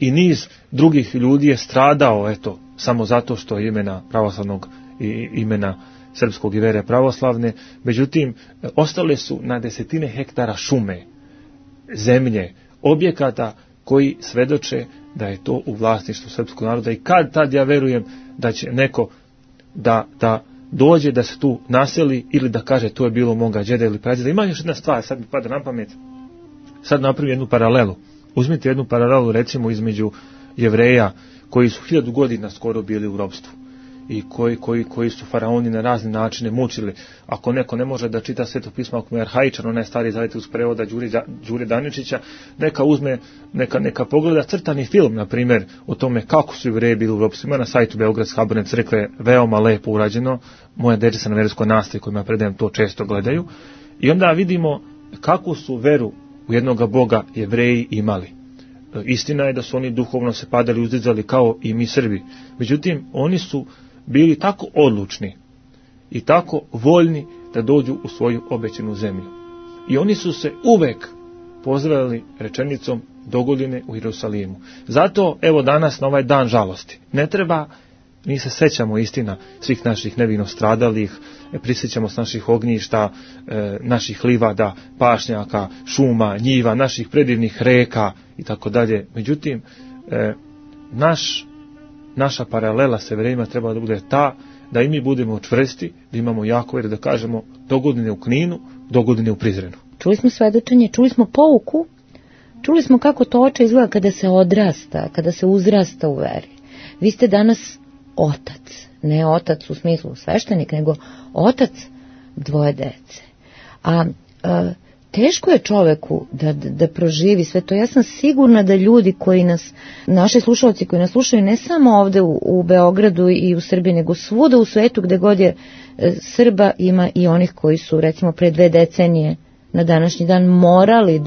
i niz drugih ljudi je stradao, eto, samo zato što je imena pravoslavnog i imena srpskog i vere pravoslavne. Međutim, ostale su na desetine hektara šume, zemlje, objekata koji svedoče da je to u vlasništvu srpskog naroda i kad tad ja verujem da će neko da dođe, da se tu naseli ili da kaže to je bilo moga džeda ili pradjeda. Ima još jedna stvar, sad mi pada na pamet, sad napravim jednu paralelu. Uzmite jednu paralelu recimo između Jevreja koji su 1000 godina skoro bili u ropstvu i koji su faraoni na razne načine mučili. Ako neko ne može da čita Sveto pismo, ako mu je arhaičan, onaj stari zavet uz prevoda Đure Daničića, neka uzme, neka pogleda crtani film, na primjer, o tome kako su Jevreji bili u ropstvu. Ima na sajtu Beogradske Haberne crkve, veoma lepo urađeno. Moja deca na verskoj nastavi kojima predajem to često gledaju. I onda vidimo kakvu su veru u jednoga Boga Jevreji imali. Istina je da su oni duhovno se padali, uzdizali kao i mi Srbi. Međutim, oni su bili tako odlučni i tako voljni da dođu u svoju obećanu zemlju. I oni su se uvek pozdravili rečenicom dogodine u Jerusalimu. Zato, evo danas na ovaj dan žalosti, ne treba, mi se sećamo istina svih naših nevino stradalih, prisjećamo s naših ognjišta, naših livada, pašnjaka, šuma, njiva, naših predivnih reka i tako dalje. Međutim, naša paralela sa Jevrejima treba da bude ta da i mi budemo čvrsti, da imamo jako vjeru, da kažemo dogodine u Kninu, dogodine u Prizrenu. Čuli smo svedočenje, čuli smo pouku, čuli smo kako to oče izgleda kada se odrasta, kada se uzrasta u veri. Vi ste danas otac, ne otac u smislu sveštenik, nego otac 2 dece. A teško je čoveku da proživi sve to. Ja sam sigurna da ljudi koji nas, naši slušalci koji nas slušaju ne samo ovde u Beogradu i u Srbiji, nego svuda u svetu gde god je Srba, ima i onih koji su recimo pre 2 decenije na današnji dan morali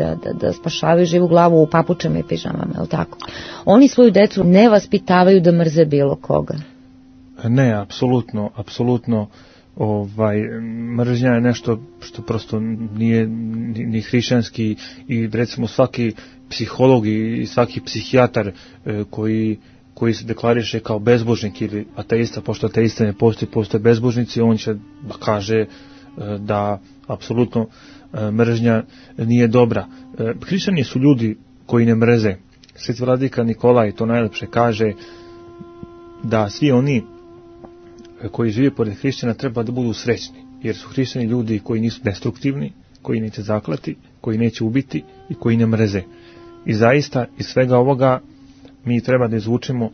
da spašavaju živu glavu u papučama i pižamama, je li tako? Oni svoju decu ne vaspitavaju da mrze bilo koga. Ne, apsolutno. Mržnja je nešto što prosto nije ni hrišćanski i recimo svaki psiholog i svaki psihijatar koji se deklariše kao bezbožnik ili ateista, pošto ateista ne postoje bezbožnici, on će da kaže da apsolutno mržnja nije dobra. Hrišćani su ljudi koji ne mrze. Sveti vladika Nikolaj to najlepše kaže da svi oni koji žive pored hrišćana treba da budu srećni, jer su hrišćani ljudi koji nisu destruktivni, koji neće zaklati, koji neće ubiti i koji ne mrze. I zaista iz svega ovoga mi treba da izvučemo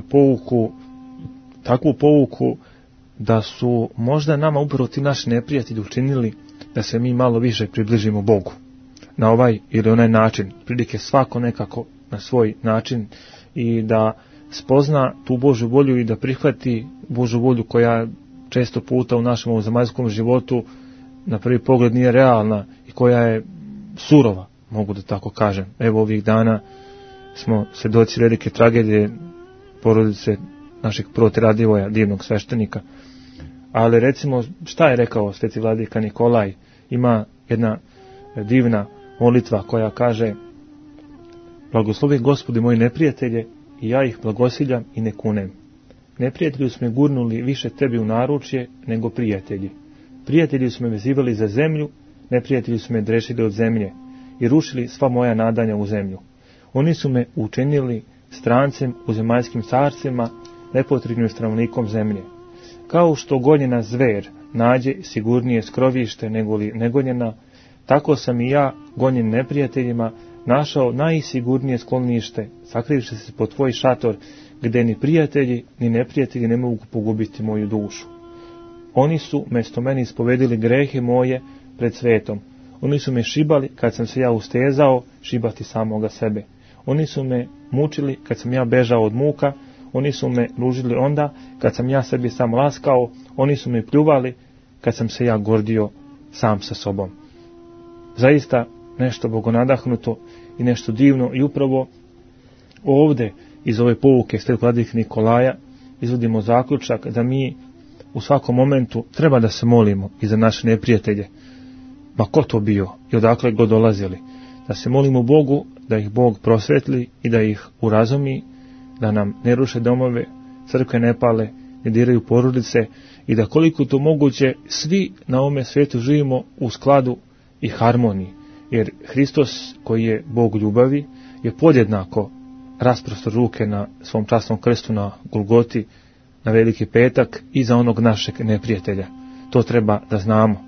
pouku, takvu pouku da su možda nama upravo ti naši neprijatelji učinili da se mi malo više približimo Bogu. Na ovaj ili onaj način, prilike svako nekako na svoj način i da spozna tu Božju volju i da prihvati Božju volju koja često puta u našem zemaljskom životu na prvi pogled nije realna i koja je surova, mogu da tako kažem. Evo ovih dana smo svedoci velike tragedije porodice našeg prota Radivoja, divnog sveštenika. Ali recimo šta je rekao sveti vladika Nikolaj? Ima jedna divna molitva koja kaže: blagoslovi Gospodi moji neprijatelje i ja ih blagosiljam i ne kunem. Neprijatelji su me gurnuli više tebi u naručje nego prijatelji. Prijatelji su me vezivali za zemlju, neprijatelji su me drešili od zemlje i rušili sva moja nadanja u zemlju. Oni su me učinili strancem u zemaljskim carcima, nepotrebnim stanovnikom zemlje. Kao što gonjena zver nađe sigurnije skrovište nego li negonjena, tako sam i ja, gonjen neprijateljima, našao najsigurnije sklonište, sakrivši se pod tvoj šator, gdje ni prijatelji ni neprijatelji ne mogu pogubiti moju dušu. Oni su mesto meni ispovedili grehe moje pred svetom. Oni su me šibali kad sam se ja ustezao šibati samoga sebe. Oni su me mučili kad sam ja bežao od muka. Oni su me ružili onda kad sam ja sebi sam laskao. Oni su me pljuvali kad sam se ja gordio sam sa sobom. Zaista nešto bogonadahnuto i nešto divno, i upravo ovdje iz ove pouke Svetog vladike Nikolaja izvodimo zaključak da mi u svakom momentu treba da se molimo i za naše neprijatelje, ma ko to bio i odakle god dolazili, da se molimo Bogu da ih Bog prosvetli i da ih urazumi, da nam ne ruše domove, crkve ne pale, ne diraju porodice i da koliko to moguće svi na ovome svijetu živimo u skladu i harmoniji, jer Hristos koji je Bog ljubavi je podjednako rasprostro ruke na svom časnom krstu na Golgoti na Veliki petak i za onog našeg neprijatelja. To treba da znamo.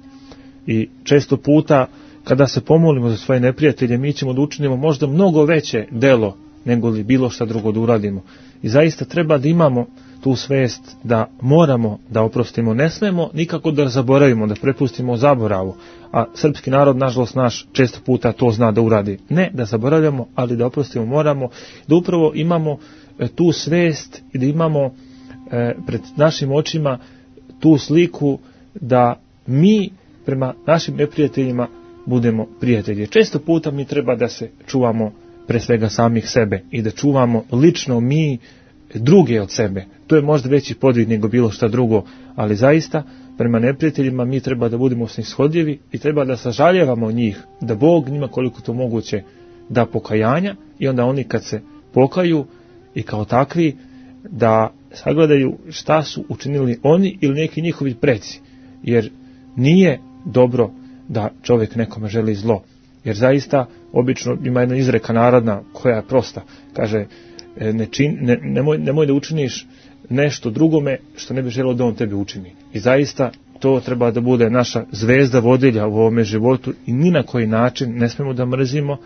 I često puta kada se pomolimo za svoje neprijatelje, mi ćemo da učinimo možda mnogo veće delo nego li bilo šta drugo da uradimo. I zaista treba da imamo tu svest da moramo da oprostimo. Ne smemo nikako da zaboravimo, da prepustimo zaboravu. A srpski narod, nažalost naš, često puta to zna da uradi. Ne da zaboravljamo, ali da oprostimo moramo. Da upravo imamo tu svest i da imamo pred našim očima tu sliku da mi prema našim neprijateljima budemo prijatelji. Često puta mi treba da se čuvamo pre svega samih sebe i da čuvamo lično mi druge od sebe. To je možda veći podvig nego bilo šta drugo, ali zaista prema neprijateljima mi treba da budemo snishodljivi i treba da sažaljevamo njih, da Bog njima koliko to moguće da pokajanja i onda oni kad se pokaju i kao takvi da sagledaju šta su učinili oni ili neki njihovi preci, jer nije dobro da čovjek nekome želi zlo, jer zaista obično ima jedna izreka narodna koja je prosta, kaže nemoj da učiniš nešto drugome što ne bi želio da on tebi učini. I zaista to treba da bude naša zvezda vodilja u ovome životu i ni na koji način ne smemo da mrzimo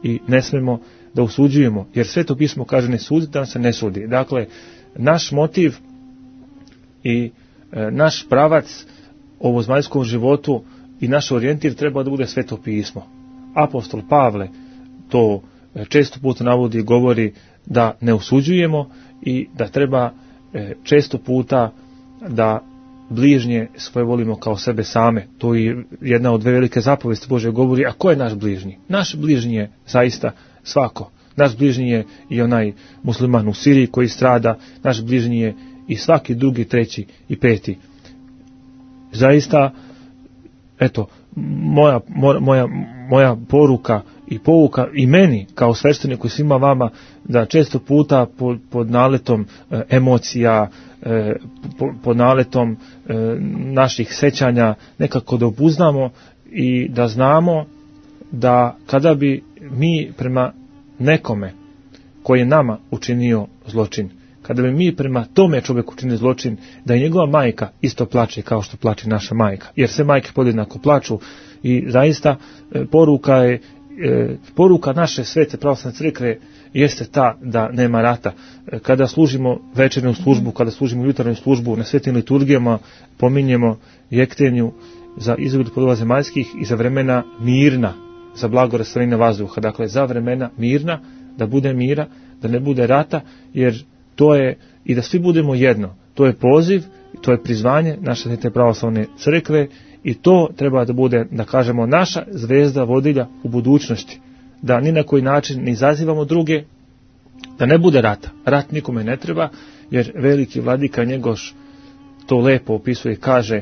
i ne smemo da osuđujemo, jer Sveto pismo kaže ne sudi da se ne sudi. Dakle, naš motiv i naš pravac ovozemaljskom životu i naš orijentir treba da bude Sveto pismo. Apostol Pavle to često puta navodi i govori da ne osuđujemo i da treba često puta da bližnje svoje volimo kao sebe same. To je jedna od dve velike zapovesti Božje govori. A ko je naš bližnji? Naš bližnji je zaista svako. Naš bližnji je i onaj musliman u Siriji koji strada, naš bližnji je i svaki drugi, treći i peti. Zaista, eto, moja poruka i pouka i meni kao svešteniku i svima vama da često puta pod naletom emocija, pod naletom naših sećanja nekako da obuznamo i da znamo da kada bi mi prema nekome koji je nama učinio zločin, kada bi mi prema tome čovjeku učinili zločin, da i njegova majka isto plače kao što plače naša majka, jer sve majke podjednako plaču. I zaista poruka naše svete pravoslavne crkve jeste ta da nema rata. Kada služimo večernju službu, kada služimo jutarnju službu, na svetim liturgijama pominjemo jektenju za izgled podova zemaljskih i za vremena mirna, za blago rastvorenja vazduha. Dakle, za vremena mirna, da bude mira, da ne bude rata, jer to je i da svi budemo jedno. To je poziv, to je prizvanje naše svete pravoslavne crkve i to treba da bude, da kažemo, naša zvezda vodilja u budućnosti. Da ni na koji način ne izazivamo druge, da ne bude rata. Rat nikome ne treba, jer veliki vladika Njegoš to lepo opisuje i kaže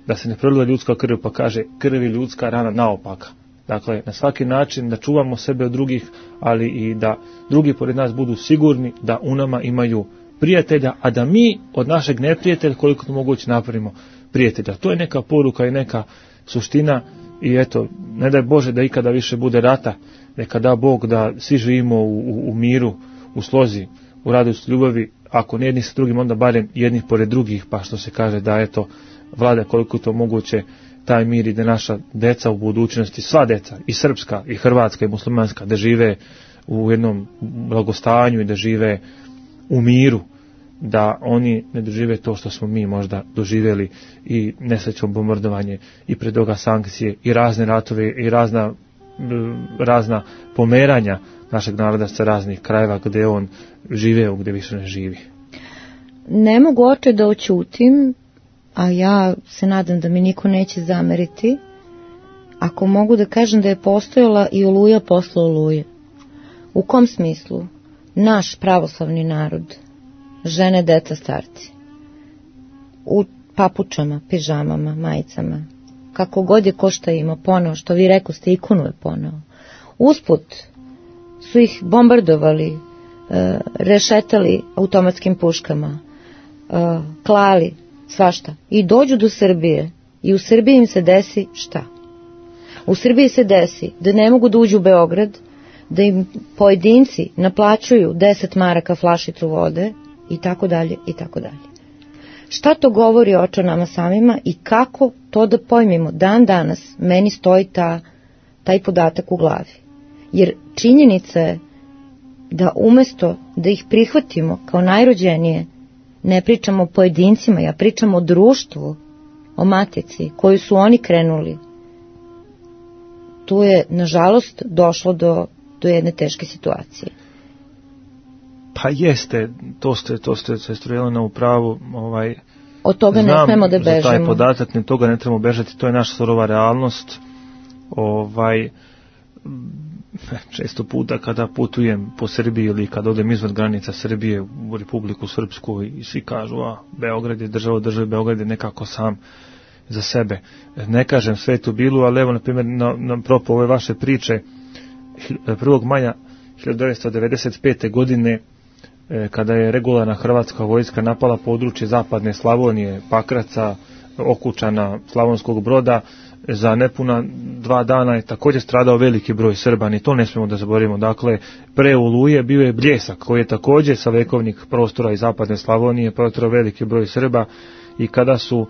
da se ne prolila ljudska krv, pa kaže krv je ljudska rana naopaka. Dakle, na svaki način da čuvamo sebe od drugih, ali i da drugi pored nas budu sigurni da u nama imaju prijatelja, a da mi od našeg neprijatelja koliko to moguće napravimo prijatelja. To je neka poruka i neka suština i eto, ne daj Bože da ikada više bude rata, neka da Bog da svi živimo u miru, u slozi, u radosti, ljubavi, ako ne jedni sa drugim, onda barem jednih pored drugih, pa što se kaže da eto, vlada koliko to moguće taj mir i da naša deca u budućnosti, sva deca, i srpska, i hrvatska, i muslimanska, da žive u jednom blagostanju i da žive u miru, da oni ne dožive to što smo mi možda doživjeli i nesrećom bombardovanje i pred toga sankcije i razne ratove i razna pomeranja našeg naroda sa raznih krajeva gdje on živeo, gdje više ne živi. Ne mogu oče da oćutim, a ja se nadam da mi niko neće zameriti, ako mogu da kažem da je postojala i Oluja posle Oluje. U kom smislu? Naš pravoslavni narod, žene, deca, starci, u papučama, pižamama, majicama, kako god je ko šta ima poneo, što vi rekoste, ikonu je poneo. Usput su ih bombardovali, rešetali automatskim puškama, klali, svašta. I dođu do Srbije i u Srbiji im se desi šta? U Srbiji se desi da ne mogu da uđu u Beograd, da im pojedinci naplaćuju 10 maraka flašicu vode i tako dalje i tako dalje. Šta to govori oče nama samima i kako to da pojmimo? Dan danas meni stoji taj podatak u glavi. Jer činjenica je da umesto da ih prihvatimo kao najrođenije, ne pričamo o pojedincima, ja pričam o društvu, o matici koju su oni krenuli. Tu je, nažalost, došlo do jedne teške situacije. Pa jeste, to ste se strujeli na upravu. Od toga ne smemo da bežimo. Za taj podatak, ne toga ne trebamo bežati, to je naša surova realnost. Često puta kada putujem po Srbiji ili kada odem izvan granica Srbije u Republiku Srpsku i svi kažu, Beograd je država, Beograd je nekako sam za sebe. Ne kažem sve to bilo, ali evo, na primjer, na propo ove vaše priče, 1. maja 1995. godine, kada je regularna hrvatska vojska napala područje zapadne Slavonije, Pakraca, Okučana, Slavonskog Broda, za nepuna 2 dana je također stradao veliki broj Srba, ni to ne smijemo da zaboravimo. Dakle, pre Oluje bio je Bljesak, koji je također sa vekovnih prostora iz zapadne Slavonije protrao veliki broj Srba, i kada su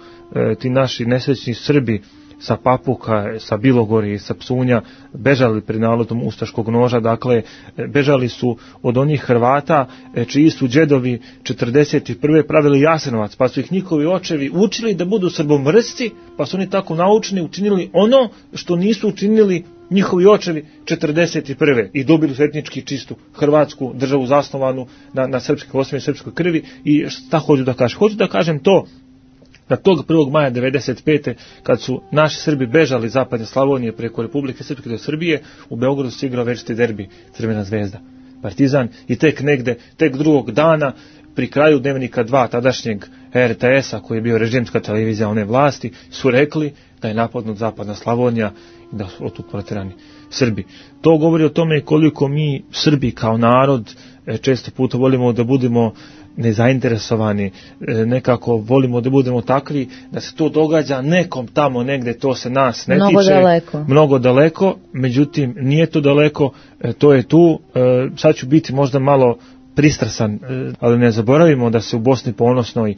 ti naši nesrećni Srbi sa Papuka, sa Bilogore i sa Psunja bežali pred naletom ustaškog noža, dakle bežali su od onih Hrvata čiji su džedovi 41. pravili Jasenovac, pa su ih njihovi očevi učili da budu srbomrsci, pa su oni tako naučeni učinili ono što nisu učinili njihovi očevi 41. i dobili su etnički čistu Hrvatsku državu zasnovanu na srpskoj osnovi, srpskoj krvi. I šta hoću da kažem? Hoću da kažem to da tog 1. maja 1995. kad su naši Srbi bežali iz zapadne Slavonije preko Republike Srpske do Srbije, u Beogradu se igrao večiti derbi Crvena zvezda Partizan, i tek drugog dana pri kraju Dnevnika 2 tadašnjeg RTS-a, koji je bio režimska televizija one vlasti, su rekli da je napadnut zapadna Slavonija i da su otud proterani Srbi. To govori o tome koliko mi Srbi kao narod često puta volimo da budemo nezainteresovani, nekako volimo da budemo takvi da se to događa nekom tamo negde, to se nas ne tiče, mnogo daleko, međutim nije to daleko, to je tu. Sad ću biti možda malo pristrasan, ali ne zaboravimo da se u Bosni ponosnoj,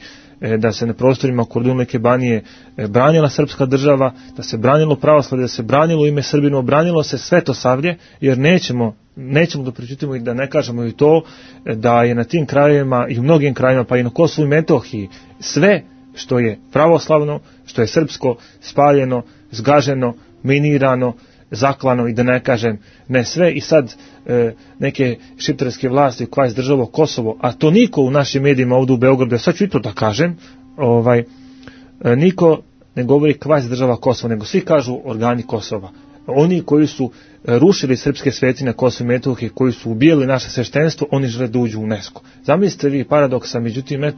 da se na prostorima Kordunlike Banije branila srpska država, da se branilo pravoslavlje, da se branilo ime Srbinu, branilo se Svetosavlje, jer nećemo da pričutimo i da ne kažemo i to da je na tim krajevima i u mnogim krajevima, pa i na Kosovu i Metohiji, sve što je pravoslavno, što je srpsko, spaljeno, zgaženo, minirano, zaklano, i da ne kažem ne sve. I sad neke šiptarske vlasti koja je izdržalo Kosovo, a to niko u našim medijima ovdje u Beogradu, sad ću i to da kažem, niko ne govori kvaz država Kosovo, nego svi kažu organi Kosova. Oni koji su rušili srpske sveci na Kosovu i Metohiji, koji su ubijali naše sveštenstvo, oni žele da uđu u UNESCO. Zamislite vi paradoksa, međutim,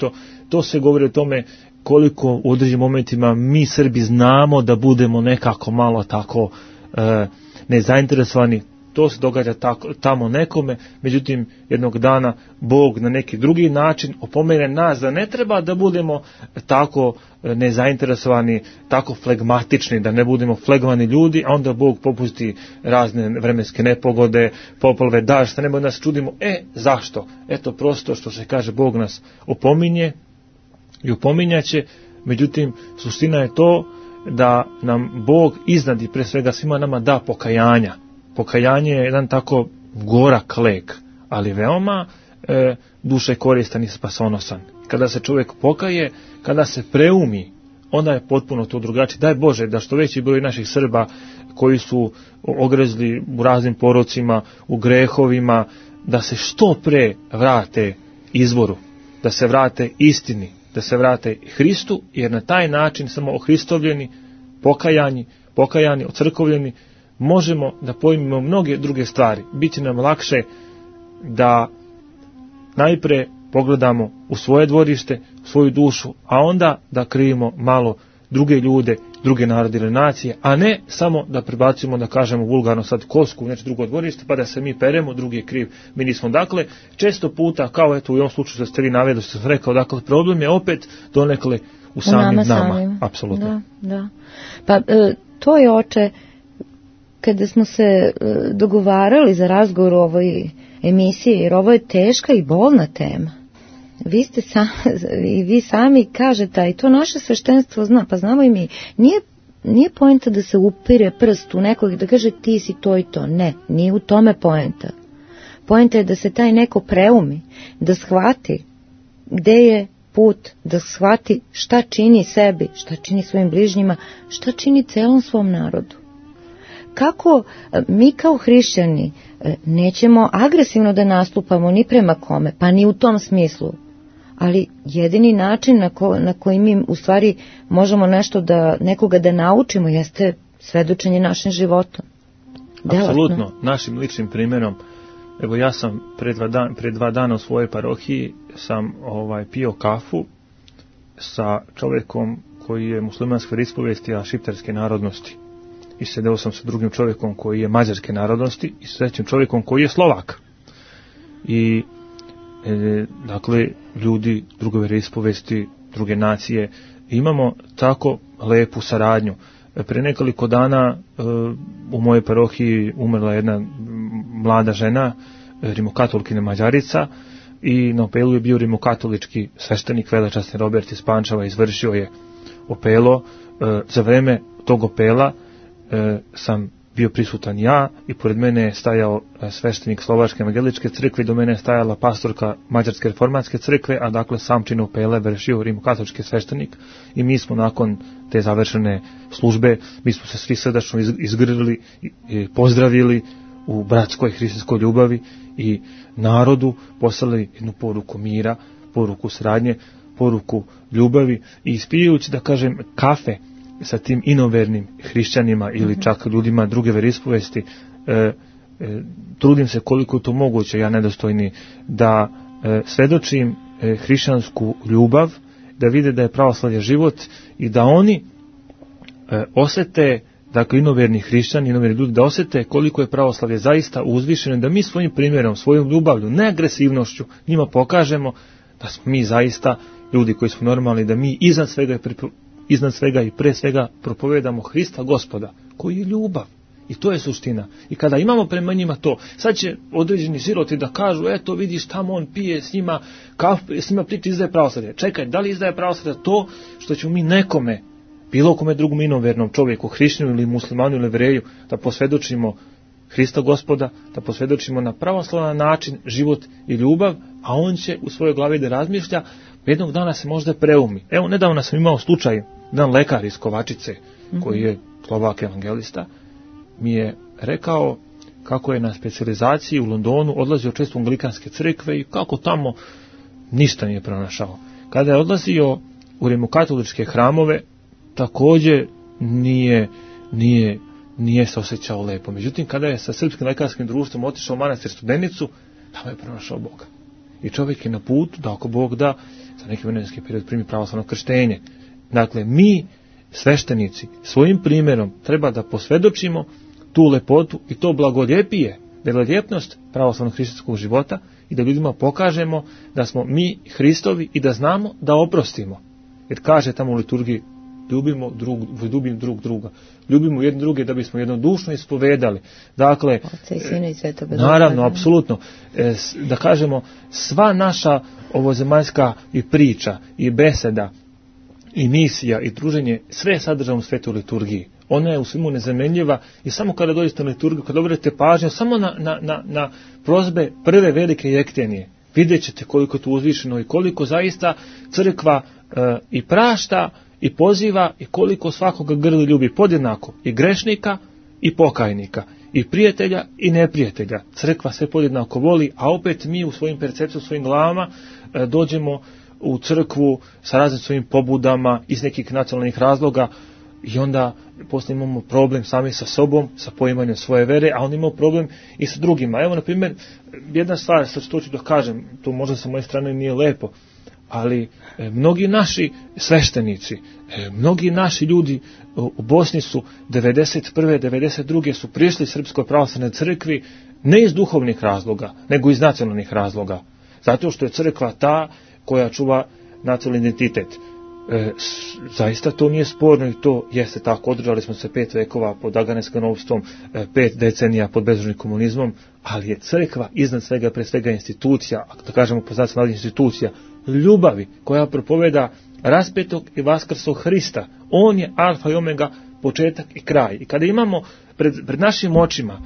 to se govori o tome koliko u određenim momentima mi Srbi znamo da budemo nekako malo tako nezainteresovani, to se događa tamo nekome, međutim jednog dana Bog na neki drugi način opomene nas da ne treba da budemo tako nezainteresovani, tako flegmatični, da ne budemo flegmani ljudi, a onda Bog popusti razne vremenske nepogode, poplave, dažd, ne nas čudimo, zašto? Eto prosto što se kaže, Bog nas opominje i opominjaće, međutim suština je to da nam Bog iznad i pre svega svima nama da pokajanja. Pokajanje je jedan tako gorak lek, ali veoma duše koristan i spasonosan. Kada se čovjek pokaje, kada se preumi, onda je potpuno to drugačije. Daj Bože da što veći broj naših Srba koji su ogrezli u raznim porocima, u grehovima, da se što pre vrate izvoru, da se vrate istini, da se vrate Hristu, jer na taj način samo ohristovljeni, pokajani, ocrkovljeni, možemo da pojmimo mnoge druge stvari. Biće nam lakše da najpre pogledamo u svoje dvorište, u svoju dušu, a onda da krivimo malo druge ljude, druge narode ili nacije, a ne samo da prebacimo, da kažemo vulgarno sad kosku u nešto drugo dvorište, pa da se mi peremo, drugi je kriv, mi nismo. Dakle, često puta, kao eto u ovom slučaju što ste vi naveli, što sam rekao, dakle, problem je opet donekle u samim nama. Apsolutno. Da. Pa to je, oče, kada smo se dogovarali za razgovor u ovoj emisiji, jer ovo je teška i bolna tema. Vi sami kažete, i to naše sveštenstvo zna, pa znamo i mi, nije poenta da se upire prst u nekog i da kaže ti si to i to. Ne, nije u tome poenta. Poenta je da se taj neko preumi, da shvati gde je put, da shvati šta čini sebi, šta čini svojim bližnjima, šta čini celom svom narodu. Kako mi kao hrišćani nećemo agresivno da nastupamo ni prema kome, pa ni u tom smislu, ali jedini način na koji mi u stvari možemo nekoga da naučimo jeste svedočenje našim životom. Apsolutno, našim ličnim primjerom. Evo ja sam pre dva dana u svojoj parohiji sam pio kafu sa čovjekom koji je muslimanske ispovesti, a šiptarske narodnosti. I sedeo sam sa drugim čovjekom koji je mađarske narodnosti i sa trećim čovjekom koji je Slovak. I dakle, ljudi druge vjeroispovesti, druge nacije, imamo tako lepu saradnju. Pre nekoliko dana u mojoj parohiji umrla jedna mlada žena, rimokatolkina Mađarica, i na opelu je bio rimokatolički sveštenik, velečasni Robert iz Pančeva, izvršio je opelo. Za vreme tog opela sam bio prisutan ja i pored mene je stajao sveštenik Slovačke evangeličke crkve i do mene je stajala pastorka Mađarske reformatske crkve, a dakle sam čin opela vršio rimokatolički sveštenik i mi smo nakon te završene službe, mi smo se svi srdačno izgrlili i pozdravili u bratskoj hrišćanskoj ljubavi i narodu, poslali jednu poruku mira, poruku saradnje, poruku ljubavi i ispijajući, da kažem, kafe sa tim inovernim hrišćanima ili čak ljudima druge veroispovesti, trudim se koliko je to moguće, ja nedostojni, da svedočim hrišćansku ljubav, da vide da je pravoslavlje život i da oni osete, dakle inoverni hrišćani, inoverni ljudi, da osete koliko je pravoslavlje zaista uzvišeno, da mi svojim primjerom, svojom ljubavlju, ne agresivnošću, njima pokažemo da smo mi zaista ljudi koji smo normalni, da mi iznad svega i pre svega propovedamo Hrista Gospoda, koji je ljubav. I to je suština. I kada imamo prema njima to, sad će određeni siroti da kažu, eto vidiš tamo on pije s njima kafu, s njima priča, izdaje pravoslavlje. Čekaj, da li izdaje pravoslavlje to što ćemo mi nekome, bilo kome drugom inovernom čovjeku, hrišćaninu ili muslimanu ili evreju, da posvjedočimo Hrista Gospoda, da posvjedočimo na pravoslavan način život i ljubav, a on će u svojoj glavi da razmišlja, jednog dana se možda preumi. Evo, nedavno sam imao slučaj, jedan lekar iz Kovačice, koji je Slovak evangelista, mi je rekao kako je na specijalizaciji u Londonu odlazio često u anglikanske crkve i kako tamo ništa nije pronašao. Kada je odlazio u rimokatoličke hramove, također nije se osjećao lepo. Međutim, kada je sa Srpskim lekarskim društvom otišao u manastir Studenicu, tamo je pronašao Boga. I čovjek je na putu da ako Bog da, za neki vremenski period primi pravoslavno krštenje. Dakle, mi, sveštenici, svojim primjerom treba da posvjedočimo tu lepotu i to blagoljepije, vjeloljepnost pravoslavnog hrišćanskog života i da ljudima pokažemo da smo mi Hristovi i da znamo da oprostimo. Jer kaže tamo u liturgiji, ljubimo drug druga. Ljubimo jedni druge da bismo jednodušno ispovedali. Dakle, Oca i Sina i Svetoga Duha. Naravno, apsolutno. Da kažemo, sva naša ovozemaljska i priča, i beseda, i misija, i druženje, sve je sadržano u svetoj liturgiji. Ona je u svemu nezamenljiva i samo kada dođete na liturgiju, kada obratite pažnju, samo na prozbe prve velike jektenije, vidjet ćete koliko je to uzvišeno i koliko zaista crkva i prašta i poziva i koliko svakoga grli ljubi podjednako, i grešnika i pokajnika, i prijatelja i neprijatelja. Crkva sve podjednako voli, a opet mi u svojim percepcijama, u svojim glavama dođemo u crkvu sa raznim svojim pobudama iz nekih nacionalnih razloga i onda poslije imamo problem sami sa sobom, sa poimanjem svoje vere, a onda imamo problem i sa drugima. Evo, na primjer, jedna stvar, sad što ću da kažem, to možda sa moje strane nije lepo, ali mnogi naši sveštenici, mnogi naši ljudi u Bosni su 91. 92. su prišli Srpskoj pravoslavnoj crkvi ne iz duhovnih razloga, nego iz nacionalnih razloga. Zato što je crkva ta koja čuva nacionalni identitet. Zaista to nije sporno i to jeste tako. Održali smo se 5 vekova pod Aganeskanovstvom, 5 decenija pod bezružnim komunizmom, ali je crkva iznad svega, pre svega institucija, da kažemo po znacima institucija, ljubavi koja propoveda raspetog i vaskrslog Hrista. On je alfa i omega, početak i kraj. I kada imamo pred našim očima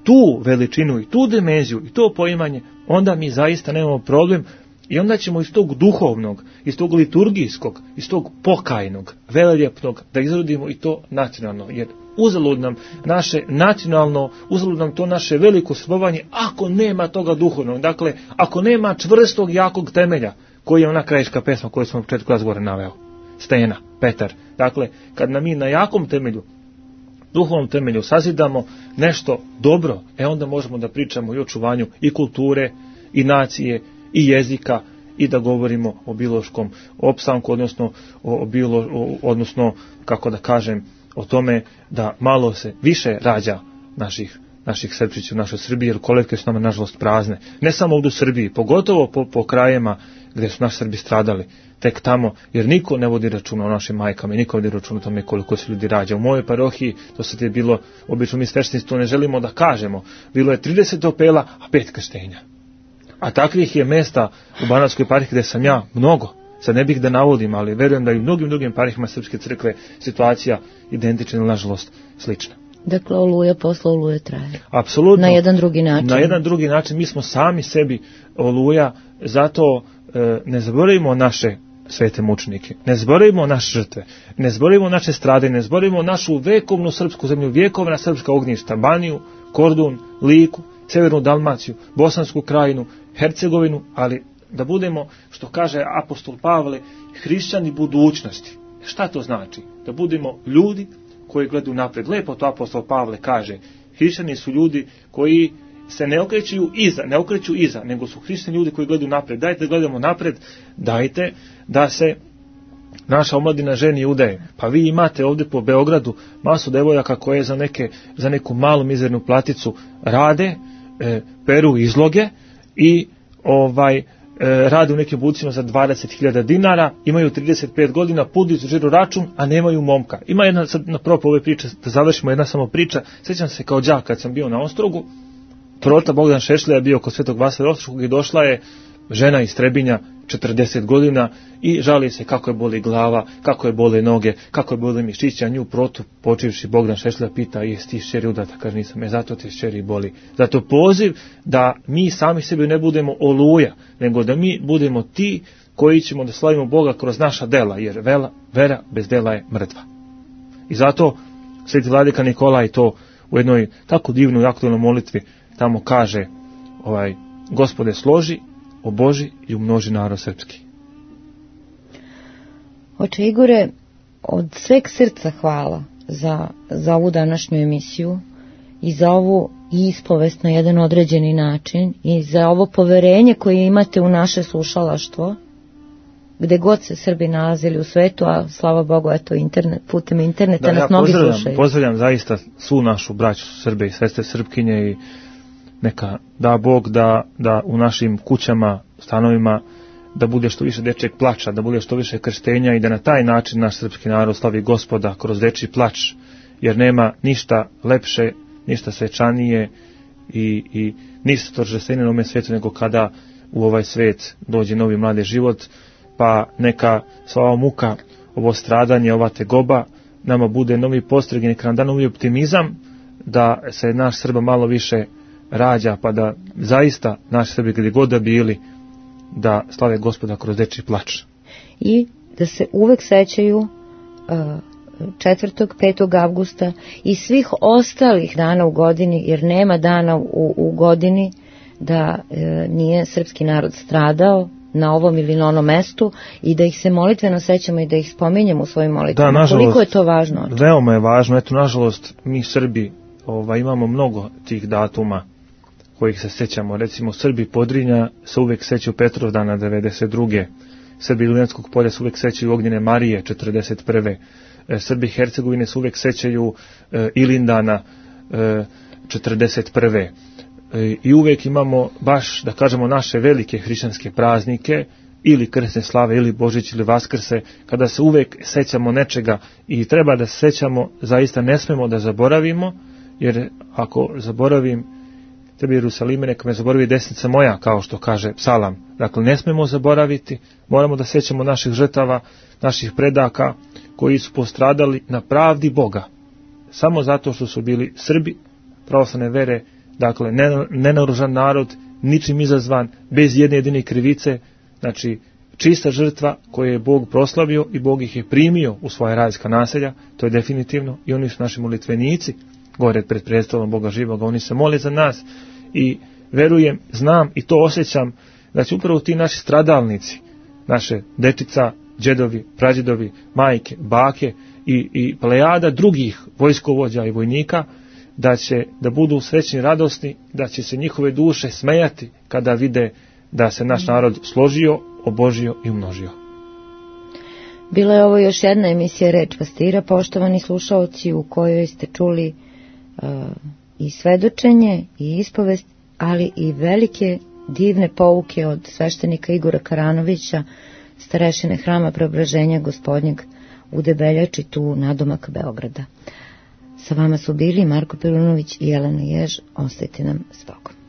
tu veličinu i tu dimenziju i to poimanje, onda mi zaista nemamo problem i onda ćemo iz tog duhovnog, iz tog liturgijskog, iz tog pokajnog, veleljepnog da izrodimo i to nacionalno. Jer uzalud nam naše nacionalno, uzalud nam to naše veliko srbovanje ako nema toga duhovnog. Dakle, ako nema čvrstog, jakog temelja, koji je ona krajiška pesma koju smo u početku razgovora naveo. Stena, Petar. Dakle, kad nam mi na jakom temelju, duhovnom temelju sazidamo nešto dobro, onda možemo da pričamo i o čuvanju i kulture, i nacije, i jezika, i da govorimo o biološkom opstanku, odnosno kako da kažem, o tome da malo se više rađa naših Srpčića u našoj Srbiji, jer kolevke su nama nažalost prazne. Ne samo ovdje u Srbiji, pogotovo po krajevima gdje su naši Srbi stradali, tek tamo, jer niko ne vodi računa o našim majkama i niko ne vodi računa o tome koliko se ljudi rađa. U mojoj parohiji, to sad je bilo, obično mi sveštenici to ne želimo da kažemo, bilo je 30 opela, a 5 krštenja. A takvih je mesta u Banatskoj eparhiji gdje sam ja mnogo. Sad ne bih da navodim, ali verujem da i u mnogim drugim eparhijama Srpske crkve situacija identična ili nažalost slična. Dakle, oluja posle oluje traje. Apsolutno. Na jedan drugi način. Na jedan drugi način. Mi smo sami sebi oluja, zato ne zaboravimo naše svete mučenike, ne zaboravimo naše žrtve, ne zaboravimo naše strade, ne zaboravimo našu vekovnu srpsku zemlju, vjekovna srpska ognjišta, Baniju, Kordun, Liku, Severnu Dalmaciju, Bosansku krajinu, Hercegovinu, ali da budemo, što kaže apostol Pavle, hrišćani budućnosti. Šta to znači? Da budemo ljudi koji gledaju napred. Lepo to apostol Pavle kaže. Hrišćani su ljudi koji se ne okreću iza, nego su hrišćani ljudi koji gledaju napred. Dajte da gledamo napred, dajte da se naša omladina ženi i udaje. Pa vi imate ovdje po Beogradu masu devojaka koje za neku malu mizernu platicu rade, peru izloge i rade u nekim bucima za 20.000 dinara, imaju 35 godina, pudi žiro račun, a nemaju momka. Ima jedna, sad na propu ove priče, da završimo, jedna samo priča. Sjećam se kao đak kad sam bio na Ostrogu, prota Bogdan Šešlja je bio kod Svetog Vasilija Ostroga i došla je žena iz Trebinja, 40 godina, i žali se kako je boli glava, kako je bole noge, kako je boli mišića. Nju protu počivši Bogdan Šešlja pita: jesi ti šćeri udata? Kaže: nisam. Zato te šćeri boli. Zato poziv da mi sami sebi ne budemo oluja, nego da mi budemo ti koji ćemo da slavimo Boga kroz naša dela, jer vera bez dela je mrtva. I zato sveti vladika Nikolaj to u jednoj tako divnoj aktualnoj molitvi tamo kaže: Gospode, složi, oboži i umnoži narod srpski. Oče Igore, od sveg srca hvala za ovu današnju emisiju i za ovu ispovest na jedan određeni način i za ovo poverenje koje imate u naše slušalaštvo gde god se Srbi nalazili u svetu, a slava Bogu, eto, putem interneta nas mnogi slušaju. Pozdravljam zaista svu našu braću Srbe i sestre Srpkinje i neka da Bog da u našim kućama, stanovima, da bude što više dečjeg plača, da bude što više krštenja i da na taj način naš srpski narod slavi Gospoda kroz dečji plač, jer nema ništa lepše, ništa svečanije i ništa торжественije na ovom svijetu nego kada u ovaj svijet dođe novi mladi život, pa neka sva ova muka, ovo stradanje, ova tegoba nama bude novi postreg i neka nam da novi optimizam da se naš Srba malo više rađa, pa da zaista naši Srbi gdje god da bili da slave Gospoda kroz dečji plač. I da se uvek sećaju 4. 5. avgusta i svih ostalih dana u godini, jer nema dana u godini da nije srpski narod stradao na ovom ili na onom mestu i da ih se molitveno sećamo i da ih spominjemo u svojim molitvama. Da, nažalost, koliko je to važno? Veoma je važno. Eto, nažalost, mi Srbi imamo mnogo tih datuma kojih se sećamo. Recimo, Srbi Podrinja se uvek sećaju Petrovdana 92. Srbi Iljenskog polja se uvek sećaju Ognjene Marije 41. Srbi Hercegovine se uvek sećaju Ilindana 41. I uvek imamo baš, da kažemo, naše velike hrišćanske praznike, ili krsne slave, ili Božić, ili Vaskrse, kada se uvek sećamo nečega i treba da se sećamo, zaista ne smemo da zaboravimo, jer ako zaboravim tebi Jerusalime, neka me zaboravi desnica moja, kao što kaže psalam. Dakle, ne smemo zaboraviti, moramo da sećamo naših žrtava, naših predaka, koji su postradali na pravdi Boga, samo zato što su bili Srbi, pravoslavne vere, dakle, nenaoružan narod, ničim izazvan, bez jedne jedine krivice, znači, čista žrtva koju je Bog proslavio i Bog ih je primio u svoje rajska naselja, to je definitivno, i oni su naši molitvenici, gore pred predstavom Boga živoga, oni se mole za nas i verujem, znam i to osjećam, da će upravo ti naši stradalnici, naše dečica, džedovi, prađedovi, majke, bake i plejada drugih vojskovođa i vojnika, da će da budu srećni, radosni, da će se njihove duše smejati kada vide da se naš narod složio, obožio i umnožio. Bila je ovo još jedna emisija Reč pastira, poštovani slušaoci, u kojoj ste čuli i svedočenje i ispovest, ali i velike divne pouke od sveštenika Igora Karanovića, starešine Hrama Preobraženja Gospodnjeg u Debeljači, tu nadomak Beograda. Sa vama su bili Marko Perunović i Jelena Jež. Ostajte nam s Bogom.